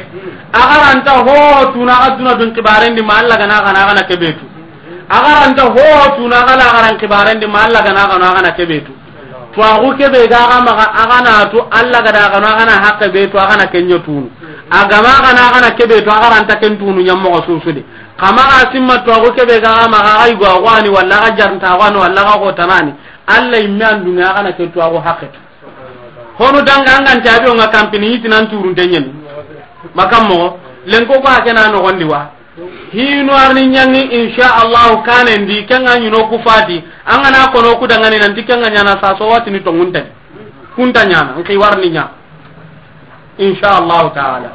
A ga ra nta ho tunu a ga duna bin xibaren di, ma Alla ga na xanu a ga na kebe tu. A ga ra nta ho tunu a ga laxaran xibaren di, ma Alla ga na xanu a ga na kebe tu. Tuwaxu kebe ga ga maxa, a ga na tu, Alla ga da xanu a ga na haqqe be tu, a ga na ken ɲa tunu. A ga ma xanu a ga na kebe tu, a ga ra nta ken tunu ɲa moxo su su di. Xa maxa simma tuwaxu kebe ga ga maxa, a ga yugo a xo a ni, walla a ga jarnta a xo a ni, walla a ga xotanani. Alla imme an duŋe a ga na ke tuwaxu haqqe tu. Honu danga an ga nta bi o ŋa kampini, i ti nan turunte ɲa ni. Makan moxo, lenko ko a ke na noxon di wa. Hinu arni ɲaŋi, insha Allahu, kanen di, ken ŋa ɲi no ku fati, an ga na kono ku dangani nanti ken ŋa ɲaana saso, wa ti ni tonŋunte. Kun ta ɲaana, n xi warni ɲa. Insha Allahu ta'ala.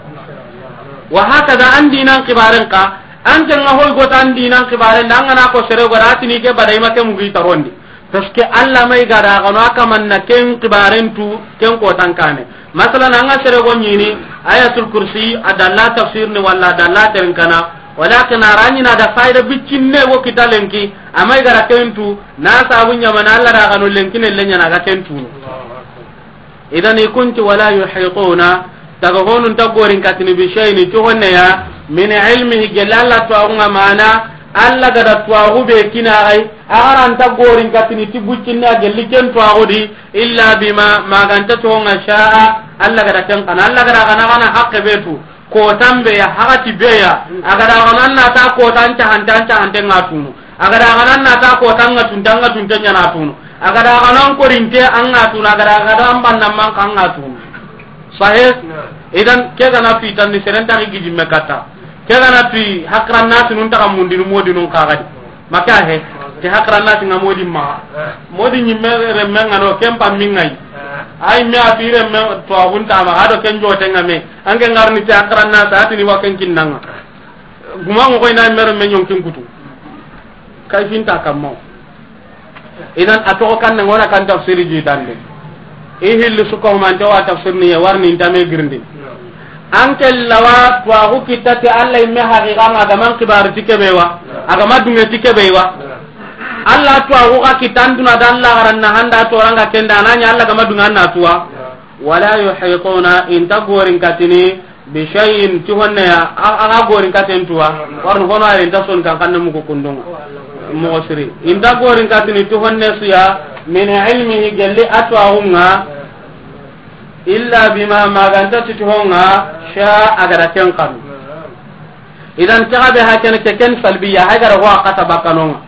Wa hakada, an dinan xibaren xa, an ken ŋa hoy gota an dinan xibaren da, an ga na ko sere gora, a ti ni ke bada i ma ke mugi tarondi. Parce que Alla ma i ga da xanu a kaman na ken xibaren tu, ken kotan kane. Masalan, an ga sere go ɲini, Ayatul Kursi, a dalla tafsir ni walla a dalla teren kana, walakin a ra ɲi na da fayda bicinne go kita lenki, a ma i ga da ken tu, na sabu ɲamana Alla da xanu lenki ne le ɲaana ga ken tu. Idan i kunti wala yuhituna, taga honu nta gorin katini bi shay'in, ti honne ya, min ilmihi, gella Alla tuwaxu ŋa, mana Alla ga da tuwaxu be kina a ga yi, a ga ra nta gorin katini ti bucinne a gelli ken tuwaxu di, illa bima, ma ga nta ti ho ŋa, sha'a, Alla ga da ken xanu, Alla ga da xanu a ga na haqqe be tu. Kotan be ya, hakati be ya, a ga da xanu an na ta kotan cahante, an cahante ŋa tunu. A ga da xanu an na ta kotan ŋa tunte, an ŋa tunte ɲaana tunu. A ga da xanu an korinte an ŋa tunu, a ga da xanu an banna man xa an ŋa tunu. Sahih? Idan, ke ga na tu i tan ni seren ta gi jimme kata. Ke ga na tu i hakran na tunun ta mundinu modinun xa ga di. Maka he, ke hakran na tinga modi ma. Modi ɲimme remme ŋa no, ken pa mi ŋa yi. Ay me a fi remme to abun ta ma, a do ken jote ŋa me. An ke ŋarni ti hakran na sa, a ti ni wa ken kinnanga. Guma ŋo koy na mero me ɲonkin kutu. Kayfinta kammo. Idan a toxo kan na ŋona kan tafsiri jitande. I hilli suka humante wa tafsir ni ye warni intame girindi. An ke lawa tuwaxu kitta ti Allah imme haqiqa ma gaman kibari ti kebe wa. Agama dunge ti kebe wa. Allah tuwaxu xa kitta an duna da Allah garanna handa toranga kenda nanya Allah gama dunga na tuwa. Wala yuhituna inta gorin katini. Bi shay'in ti honne ya, a, a, a gorin katen tuwa, warni hono ayen ta son kan kanne mugu kundunga. Moxo siri. Inta gorin katini ti honne suya, min ilmihi gelli a tuwaxunga, illa bima maganta ti ti honga, sha a gada ken kanu. Idan taga be hakene ke ken salbiya, hagara ho a kata bakanonga.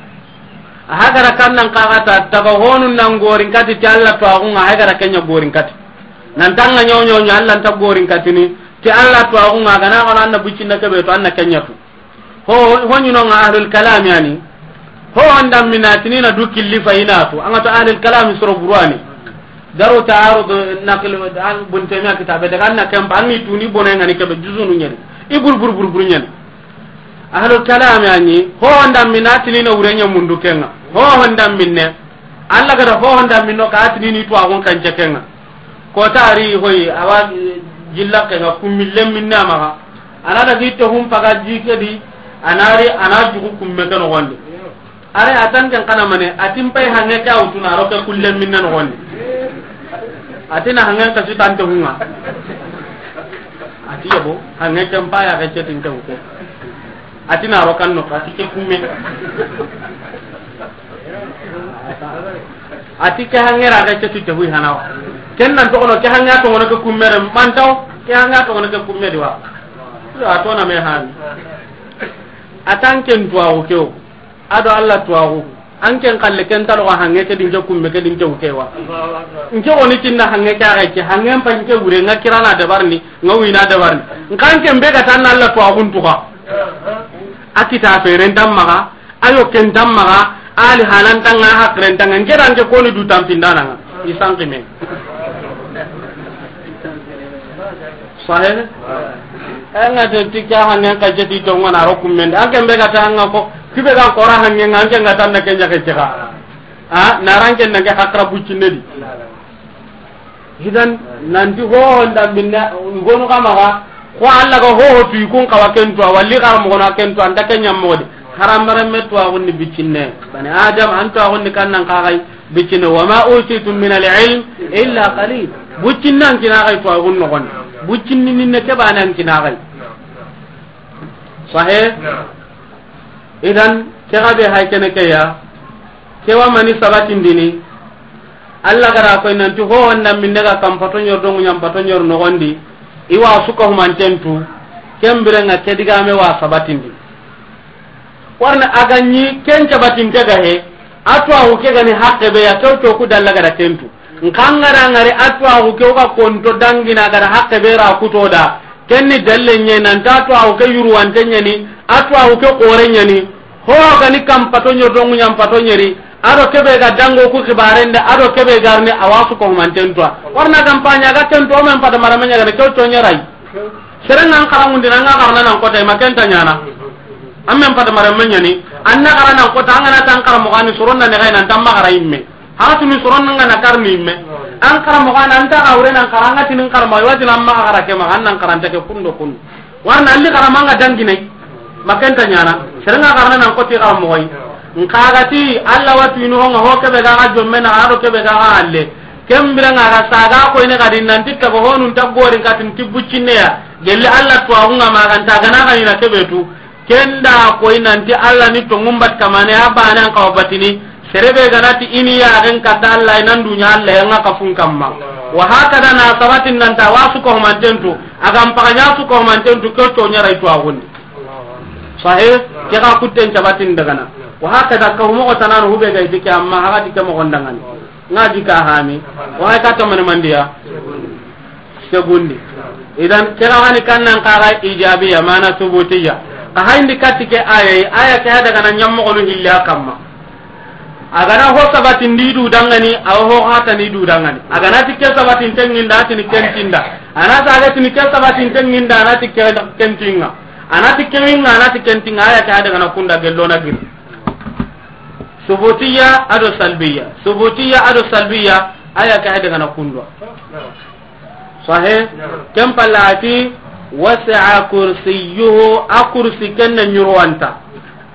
Hagara kannan kagata, taga honun nan gorin kati ti Allah tuwaxunga, hagara kenya gorin kati. Nan tanga nyaw nyaw nya Allah nta gorin katini ti Allah tuwaxunga gana gana anna bucinna kebe to anna kenyatu. Ho ho nyino nga ahlul kalam yani. Ho anda minatini na du killi fa inatu anga to ahlul kalam soro burwani. Daru ta'arud naql an Ibn Taymiyyah kitabe daga anna kempa anni tuni bono ngani kebe juzunu nyani. I bur bur bur bur nyani. Ahlul kalam yani ho anda minatini na urenya mundu kenga. Ho anda minne. Allah gada ho honda minno ka atini ni tuwaxun kan cekenga. Ko tari hoyi awa jilla kenga kummi lemminna maxa. Ana da gitte hum paga jike di, anari ana jugu kumme ke noxondi. Are atan ken kana mane, atin pay hange ke awtuna ro ke kulle minna noxondi. Atina hangen ka su tante hunga. Ati yabo hange ken paya ke cetin ke ko. Atina ro kan no ka ti ke kumme. Ati ke hangera ga ke ti te hui hanawa. Ken nan to kono ke hanga to ngono ke kumme re mantaw, ke hanga to ngono ke kumme diwa. Yo atona me han. Atan ken tuwaxu ke o. Ado Allah tuwaxu. An ken kalle ken talo hange ke din ke kumme ke din ke ukewa. Nke woni kinna hange ke ga ke hange mpa nke wure nga kirana dabarni, nga wina dabarni. Nkan ken be ga tan Allah tuwaxun tuka. Akita feren tammaga. Ayo ken tammaga, ali hanan tanga, hakren tanga, ngeran ke koni du tampindana nga. Isan kime. Sahe? Enga de tika hanen ka jeti to ngona ro kumende. Anke mbega tanga ko, kibe ga kora hanne nga anke nga tanna kenya ke jega. A, naranke nange hakra bucinedi. Idan nanti hoho ndambinne ngonu kamaga. Ko Allah ga hoho tu ikun kawa kentu walli kar mo na kentu anda kenya modi. Haram maram metu agunni bicinne. Bani Adam antu agunni kannan kagai bicinne. Wa ma utitum min al-ilm illa qalil. Bucinnan kinagai tu agun no gon. Bucinni ninne ke banan kinagai. Sahe. Idan ke ga be hay kene ke ya. Ke wa mani sabatindini. Allah gara koy nanti ho wanda minne ga kam pato nyor dongu nyam pato nyor no gondi. Iwa suka humantentu. Kembire nga ke digame wa sabatindi. Warna aganyi ken sabatinte ga he. Atwa u ke gani hakke be ya to to ku dalla gara tentu. Nkangara ngari atwa u ke ga konto dangina gara hakke be ra kutoda. Kenni dalle nye nan ta to aw ke yuru wante nyani, atwa u ke kore nyani. Ho gani kam pato nyo dongu nyam pato nyeri. Ado kebe ga dango ku xibarende, ado kebe garni awasu ko manten to. Warna kampanya ga ten to men pada marame nya ga to to nyarai. Serenga an karamundi nanga karna nan kota makenta nyana. Ammen pada marame nyani. Anna karana kota angana tan karamo gani suronna ne gainan tamma gara imme. Haratuni soron nga na karni me. An karamo gana anta awre nan karanga tinin karma wati nan ma gara ke ma nan karanta ke kundo kun. Warna alli karama nga danginai. Makenta nyana. Serenga karna nan koti karamo goy. Nkagati Allah watu inu honga ho kebe ga ga jomme na aro kebe ga ga alle. Kembira nga ga saga ko ine ga din nan tikka go honun tagorin katin tibucinne ya. Gelle Allah to agunga maganta gana ga ina kebetu. Kenda koy nanti Allah ni to ngumbat kamane abana an kawa batini. Serebe ganati ini ya ren kata Allah nan dunya Allah yanga kafun kamma. Wa hakada na sabatin nan ta wasu ko mantentu. Agam paganya su ko mantentu ko to nyara itu agundi. Sahih. Ke ga kutten sabatin dagana. Wa hakada ka humo ko tanan hube ga itike amma haga dike mo gondangani. Ngaji ka hami. Wa ka to man mandiya. Segundi. Idan kira wani kannan kaga ijabiya mana subutiya. Ka hayndi katike aya, aya ke hada kana nyammo onu hilla kamma. Agana ho sabati ndi du dangani, aw ho hata ni du dangani. Agana tikke sabati tenginda tini kentinda. Ana saga tini ke sabati tenginda ana tikke kentinga. Ana tikke winga ana tikke kentinga aya ke hada kana kunda gellona gir. Subutiya ado salbiya, subutiya ado salbiya, aya ke ay daga na kundwa. Sahe. Ken palla a ti, wasi'a kursiyuhu, a kursi ken na ñurwanta,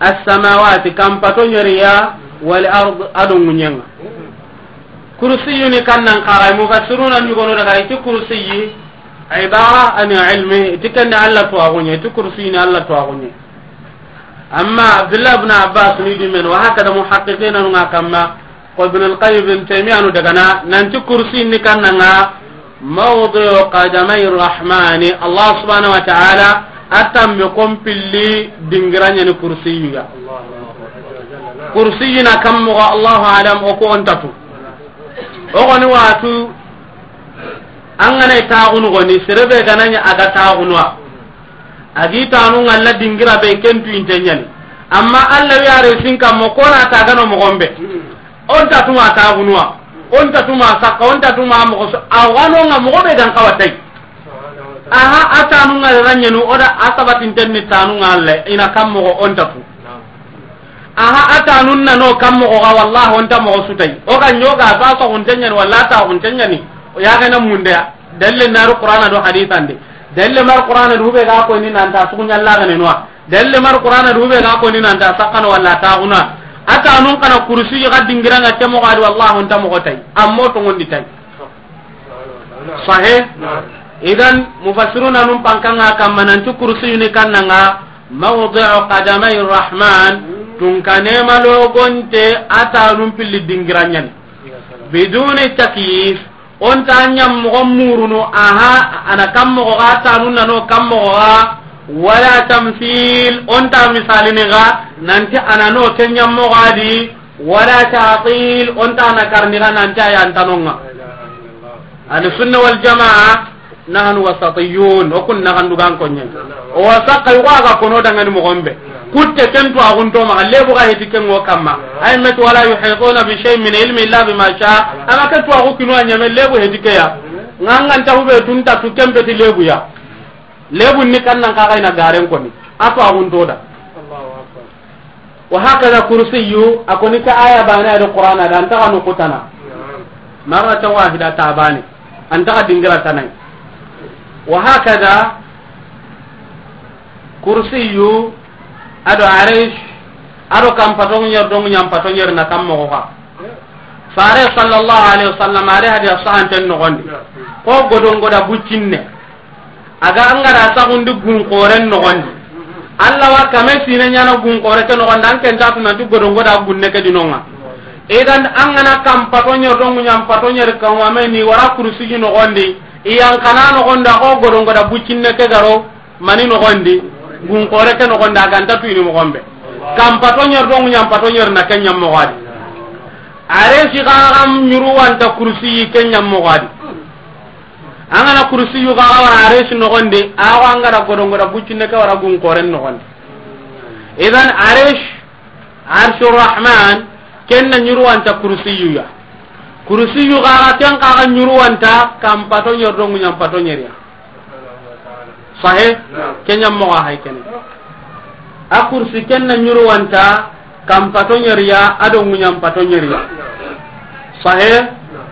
as-samawati, kampato ñeriya, wal ard, ado ŋuñenga. Kursiyuni kannan kaga, mufassiruna ñugono daga, iti kursiyi, ibara ani ilmi, iti kende Allah tuwaxuñe, iti kursiyini Allah tuwaxuñe. Amma Abdullah ibn Abbas ni dimen, wa hakada muhaqqiqina nunga kamma, ko Ibn al-Qayyim, Ibn Taymiyyah nu dagana, nanti kursi ni kannanga, mawdi'u qadamay rahmani, Allah subhanahu wa ta'ala, a tambe kompilli dingiranya ni kursiyu ya. Kursiyu na kammo, Allahu alam, o ko ontatu. O goni watu, an gana taxunu goni, serebe gananya aga taxunwa. A gi tanu ŋalla dingira be ken tu inte ñani. Amma Allah wi are sin kammo, ko na ta gano moxo be. Onta tuma taxunwa. Onta tuma sakka, onta tuma moxo so, a wano nga moxo be gan kawa tay. Aha, a tanu ŋalla ñanu, o da a sabatinten ni tanu ŋalla, ina kammo onta tu. Aha, a tanun na no kammo ga, wallahi onta moxo su tay. O ga ñoga ba so hunten ñani, walla ta hunten ñani. O ya gana munde ya. Dalle naru Qur'ana do hadithan de. Dalle mar Qur'ana do be ga ko ni nanta sugu ñalla gane noa. Dalle mar Qur'ana do be ga ko ni nanta sakano walla taxuna. Ata nun kana kursi ga dingiranga ke moxo adi, wallahi onta moxo tay. Ammo to ngondi tay. Sahe. Idan mufassiruna nun pankanga kamma nanti kursi ni kannanga mawdi'u qadamay rahman, tun kane malogonte ata nun pilli dingiranyan. Biduni takyif, onta ñammoxo murunu, aha, ana kammoxo ga, tanun nano kammoxo ga, wala tamthil, onta misalini ga, nanti ana no ke ñammoxo adi, wala ta'til, onta na karni ga, nanti a yantanonga. Ahli sunna wal jamaa, nahnu wasatiyun, o kun na gandu gan konye. O wasaka yugo aga kono dangani moxo be. Kutte ken tu agun to ma, lebu ga heti ken ŋo kamma. Ay met wala yuhituna bi shay'in min ilmi illa bima sha. Ama ken tu agu kinu a ñame lebu heti ke ya. Ŋangan ta hube tun ta tu ken be ti lebu ya. Lebu ni kannan ka ga ina garen koni. A tu agun to da. Wa hakada kursiyu, a koni ka aya bane ado Qur'ana da, anta kanu kutana. Marratan wahida ta bane. Anta ka dingira tanai. Wa hakada kursiyu, ado arish, ado kampato ñer do ñampato ñer na kammoxo ga. Fare sallallahu alaihi wasallam, are hadiya sahanten noxondi. Ko godon goda buccinne. Aga angara saxundi gun xoren noxondi. Allah wa kame sine ñana gun xore ke noxondi, an ken ta tunanti godon goda gunne ke dinonga. Idan an gana kampato ñer do ñampato ñer kawame ni wara kursi ji noxondi. Iyan kana noxondi, a ko godon goda buccinne ke garo. Mani noxondi, gun xore ke noxondi, a ganta tuyini moxo be. Kampato ñer do ñampato ñer na ke ñammoxo adi. Are si xaxam ñuru wanta kursi ke ñammoxo adi. An gana kursi yu xaxa wara are si noxondi, a xo an gara godon goda buccinne ke wara gun xoren noxondi. Idan are si Arshur Rahman, ken na ñuruwanta kursiyu ya. Kursiyu xaxa, ken xaxa ñuruwanta kampato ñer do ñampato ñer ya. Sahe? Naam. Ken ñammoxo hay kene. A kursi ken na ñuruwanta kampato ñer ya, ado ñampato ñer ya. Sahe? Naam.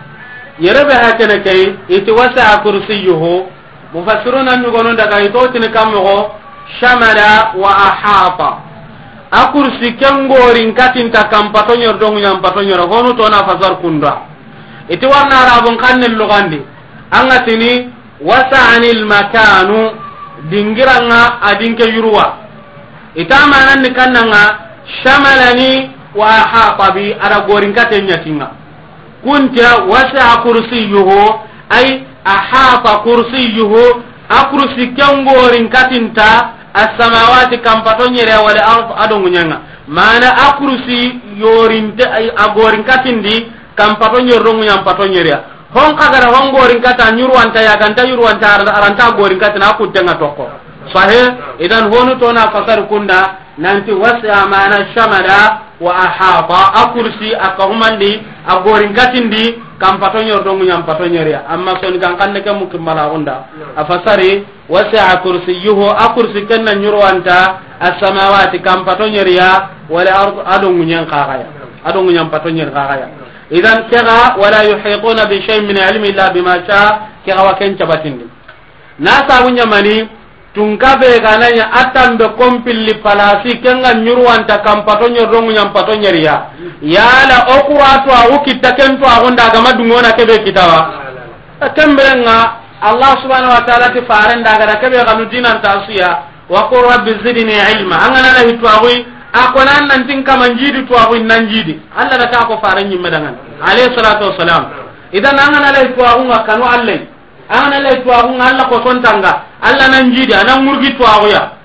Yere be ha kene kay, iti wasi'a kursiyuhu. Mufassiruna ñugono daga i to tini kammoxo, shamala wa ahata. A kursi ken gorin katinta kampato ñer do ñampato ñer, honu to na fasar kunda. Iti warna arabun xannen lugandi. An ga tini, wasa'anil makanu, dingiranga a dinke yuruwa. Ita manan ni kannanga, shamalani wa ahata bi, ada gorin katen ñatinga. Kunta wasi'a kursiyuhu, ay ahata kursiyuhu, a kursi ken gorin katinta, as-samawati kampato ñere, wal ard ado ñaŋa. Mana a kursi yorinte, ay a gorin katindi, kampato ñer do ñampato ñer ya. Hon kagara hon gorin kata ñuruwanta ya, ganta ñuruwanta aranta, aranta gorin katina a kuttenga tokko. Sahe, idan honu to na fasar kunda, nanti wasi'a mana shamala wa ahata, a kursi a kahumandi, a gorin katindi, kampato ñer do ñampato ñer ya. Amma soni kan kanne ke mukimbala gunda. A fasari, wasi'a kursiyuhu, a kursi ken na ñuruwanta, as-samawati kampato ñer ya, wal ard ado ñen xaxa ya. A do ŋuɲan pato ɲeri xaxaya. Idan kega, wala yuhituna bi shay'in min ilmi illa bima sha, kega wa ken cabatindi. Na sabu ɲamani, tunka be ga na ɲa a tambe kompilli palasi, kenga ɲurwanta kan pato ɲeri do ŋuɲan pato ɲeriya. Yala o kura to a wu kitta ken to a gunda gama dungona kebe kitawa. Kemberenga, Allah subhanahu wa ta'ala ti faren da ga da kebe ganu dinan tasuya. Wa qul rabbi zidni ilma. An ga na la hitwa gui, a ko nan nan tin kama njidi twa gui nan njidi. Allah da ta ko faran nyimme dangan. Alayhi salatu wassalam. Idan an ga na la hitwa gui nga kanu Allah. An ga na la hitwa gui nga Allah ko sontanga. Allah nan njidi, anan murgi twa gui ya.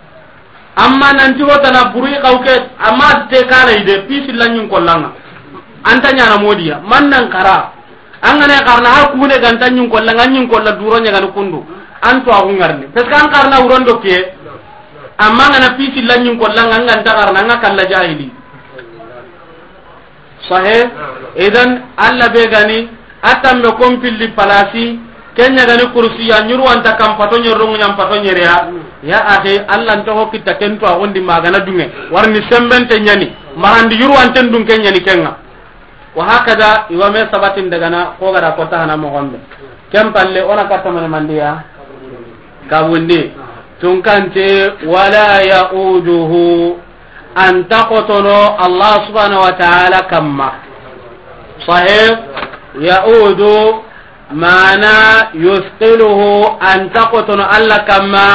Amma nan ti hotana buri kawke, amma te kala ide, pisi lanyin kollanga. Anta nyana modiya, man nan kara. An ga na karna ha kune ganta ɲin kolla, nga ɲin kolla duro ɲa gani kundu. An to agu ngarni. Parce que an karna uron do ke. Amma an ga na pisi la ɲin kolla, nga ganta karna, nga kalla jahili. Sahe? Idan, Allah be gani, a tambe kompilli palasi, ken ɲa gani kursiya, ɲuru anta kan pato ɲeri do ŋuɲan pato ɲeriya. Ya akhi, Allah nto ho kitta ken to agundi magana dunge. Warni sembente ɲani, marandi ɲuru anten dun ken ɲani kenga. Wa hakada, iwa me sabatin daga na, ko gara ko ta hana mo gombe. Ken palle, ona katta mane mandiya? Kabundi. Tunkante, wala ya'uduhu. Anta kotono Allah subhanahu wa ta'ala kamma. Sahih? Ya'udu, mana yusqiluhu, anta kotono Allah kamma.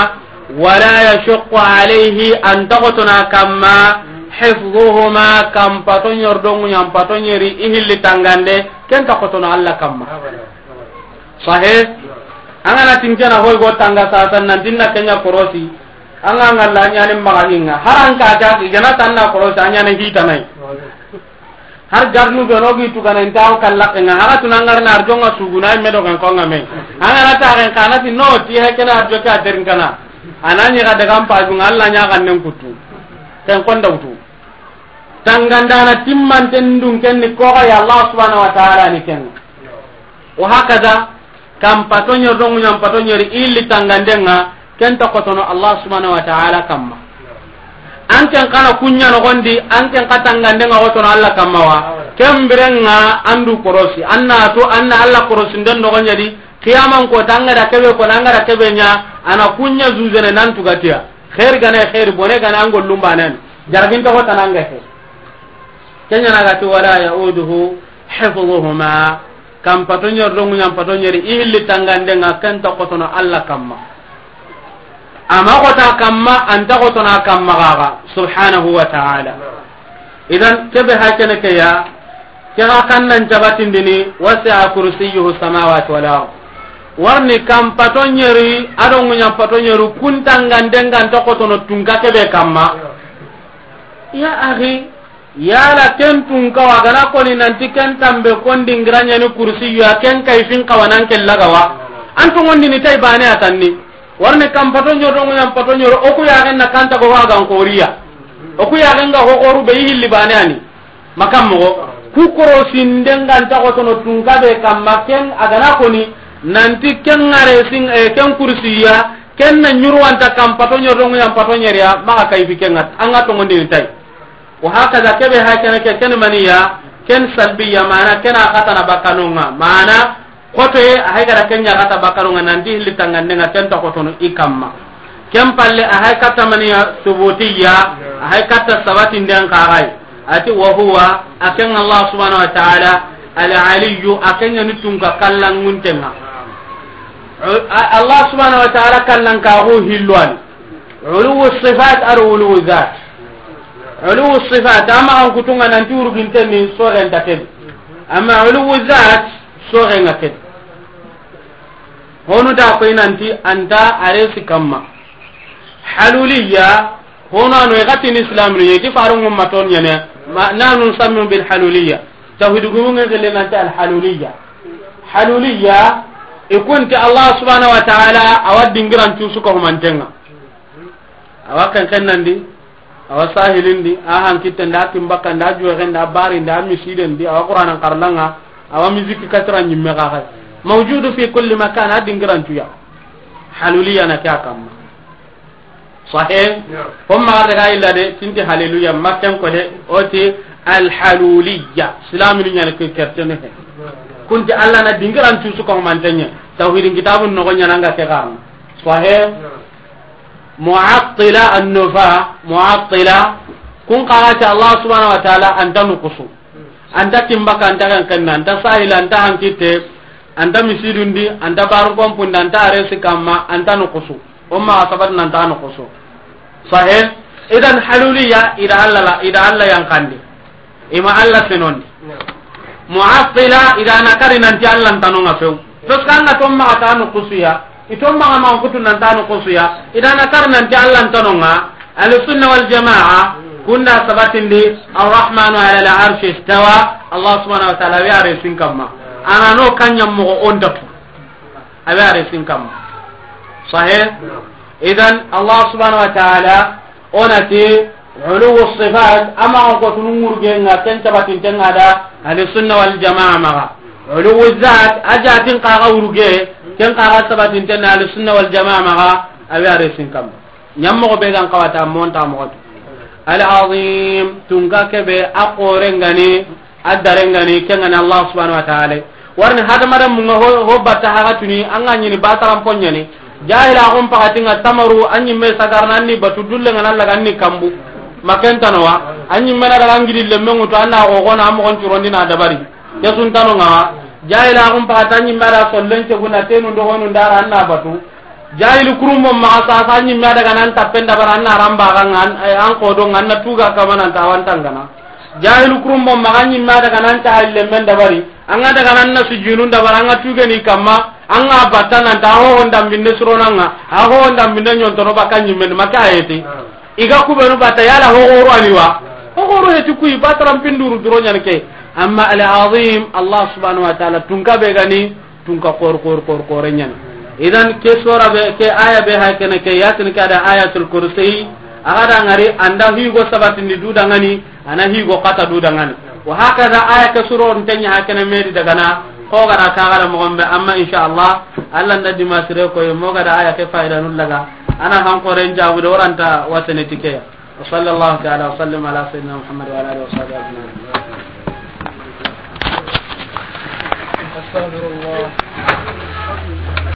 Wala yashuqqu alayhi, anta kotono a kamma, hifdhuhuma, kan pato ɲeri do ŋuɲan pato ɲeri, i hilli tangande, ken ta kotono Allah kamma. Sahe? An ga na tinkena hoy go tanga sasan nan tinna kenya korosi, an ga ngalla ɲani maga hinga. Haran ka ta, i ga na tanna korosi, a ɲana hitanai. Har garnu be no gi tu kana inta o kalla kenga, haga tuna ngarna arjonga suguna me do kan konga me. An ga na ta ken kana ti no ti he kena arjo ka derin kana. Anani ga daga mpa junga Allah ɲa kan nen kutu. Ken konda wutu. Tangandana timmanten dun ken ni ko ga ya Allah subhanahu wa ta'ala ni ken. Wa hakaza, kan pato ɲeri do ŋuɲan pato ɲeri i hilli tangandenga, ken ta kotono Allah subhanahu wa ta'ala kamma. An ken kana kunya no gondi, an ken ka tangandenga kotono Allah kamma wa. Ken birenga andu korosi, anna to, anna Allah korosi nden no gonyadi, kiyaman ko tanga da kebe ko nanga da kebe nya, ana kunya zuzene nan tugatiya. Khair gane khair, bone gane angol lumbanen. Jargin to ko tananga he. Kenya na ga ti wala ya'uduhu hifdhuhuma. Kan pato ɲeri do ŋuɲan pato ɲeri, i hilli tangandenga, ken ta kotono Allah kamma. Ama kota kamma, anta kotono a kamma gaga, subhanahu wa ta'ala. Idan, kebe hakene ke ya, ke ga kannan jabatindini, wasi'a kursiyyuhu samawati wal ard. Warni kan pato ɲeri, a do ŋuɲan pato ɲeri, kun tangandenga anta kotono tunka kebe kamma. Ya akhi, Yala ken tun kawa gana koni nanti ken tambe kon dingira ɲani kursiyu ya, ken kay fin kawa nan ke lagawa. An to ngondi ni tay bane atanni. Warne kam pato ɲodo ŋuɲan pato ɲoro, oku ya gen na kanta go wa gan koriya. Oku ya gen ga ho koru be hilli bane ani. Makam mo ku korosi ndengan ta ko tono tun kabe kamma ken a gana koni nanti ken ngare sin, eh, ken kursiyu ya, ken na ɲuru anta kam pato ɲodo ŋuɲan pato ɲeriya, maka kay fi ken ngat, an ga to ngondi ni tay. Wa hakaza, kebe hakene ke, ken maniya, ken salbiya, mana ken a xatana bakanonga, mana kotoye a haygara ken ɲa xata bakanonga, nanti hilli tangandenga ken ta kotono i kamma. Ken palle a hay katta maniya subutiya, a hay katta sabatinden kaxay. Ati wa huwa, a ken Allah subhanahu wa ta'ala, al aliyyu, a ken ɲa ni tunka kallanguntenga. A-, Allah subhanahu wa ta'ala kallankaxu hilloani. Uluwu sifat ado uluwu zat. Uluwu sifat, ama an kutunga nanti uruginten ni soxenta ken. Ama uluwu zat, soxenga ken. Honu da koy nanti anta aresi kamma. Haluliya, hono ano e gatin islam ni, ti faru ngumma ton ɲene, ma, nanu sammu bil haluliya. Tawhidu gumunge gele nanti al haluliya. Haluliya, e kunti Allah subhanahu wa ta'ala, awa dingiran tusu ko humantenga. Awa ken ken nandi, awa sahilindi, a hankitten da, a timbakkan da, a juwexen da, a barin da, a misiden di, awa Qur'anan karlanga, awa miziki katira ɲimme xa xay. Mawjudu fi kulli makan, a dingirantuya. Haluliya na ke a kamma. Sahih? Ya. Fo maxa daga illa de, tinti haleluya, makken ko de, oti, Alhaluliya, silaminu ɲani ke kertene he. Kunti Allah na dingiran cusu ko mantenya. Tawhidin kitabun no ɲana nga ke garna. Sahih. Mu'attila annufa, mu'attila. Kun qarati Allah subhanahu wa ta'ala anta nukusu. Anta timbaka, anta kan kanna, anta sahila, anta hankitte, anta misidundi, anta baru kompunda, anta aresi kamma, anta nukusu. Umma asabat nanta nukusu. Sahih. Idan haluliya ida Allah la, ida Allah yankandi. Ima Allah senondi. Mu'attila ida na kari nanti Allah ntanonga few. Parce que anga tomma ata nukusuya. Itomma ma kutu nanta nukusuya. Ida na kari nanti Allah ntanonga. Ahlu sunna wal jamaa kunda sabatindi. Arrahmanu ala al arshi istawa. Allah subhanahu wa ta'ala wi are sin kamma. Ana no kanya mo onda tu. Abe are sin kamma. Sahih. Idan Allah subhanahu wa ta'ala onati uluwu sifat, ama on ko tunu ngurge nga ken tabatin tenga da ahli sunna wal jamaa maga. Uluwu zat, a jatin kaga urge, ken kaga tabatin tenga ahli sunna wal jamaa maga. Abe are sin kamma. Ɲammoxo be gan kawata monta moxotu. Al azim, tunka kebe a xorengani, a darengani kengani Allah subhanahu wa ta'ala. Warni hadamaren munga ho, ho batta hagatuni anga ɲini bataran ponyani. Jahila xum pakatinga tamaru anyi me sagarna anni batu dulle ngana laga anni kambu. Makentanowa anyi mena daga ngidi lemme ngutu anna o gona amogon curondi na dabari. Kesuntano nga jahila xum pakata anyi mada sollen ceguna tenu ndoxonu ndara anna batu. Jahili kurumbo maxa sasa ɲimme a daga nan tappen dabari, an na ramba ga an, eh, an kodo nga an na tuga kama nan tawantangana. Jahili kurumbo maxa ɲimme a daga nan ta halle men dabari, an ga daga nan na sujunu dabari, an ga tugeni kamma, an ga batta nan ta ho honda mbinde suronanga, a ho honda mbinde ɲontono baka ɲimme maka ayeti. Iga kubenu batta yala ho goro aliwa. Ho goro heti kuyi batara mpinduru duro ɲanke. Amma al azim Allah subhanahu wa ta'ala tunka be gani. Tunka kor, kor, kor, kore ɲani. Idan ke sora be, ke aya be ha kene ke yasin ke da ayatul kursi. Aga da ngari anda higo sabatindi du dangani, ana higo kata du dangani. Wa hakaza aya ke suro ntenya ha kene medi dagana. Ko gara ka gara mo gombe amma insha Allah Allah nda dimasire ko mo gara aya ke faida nulaga. Ana han koren jabu do ranta wasene tikeya. وصلى الله تعالى وسلم على سيدنا محمد وعلى آله وصحبه أجمعين. أستغفر الله.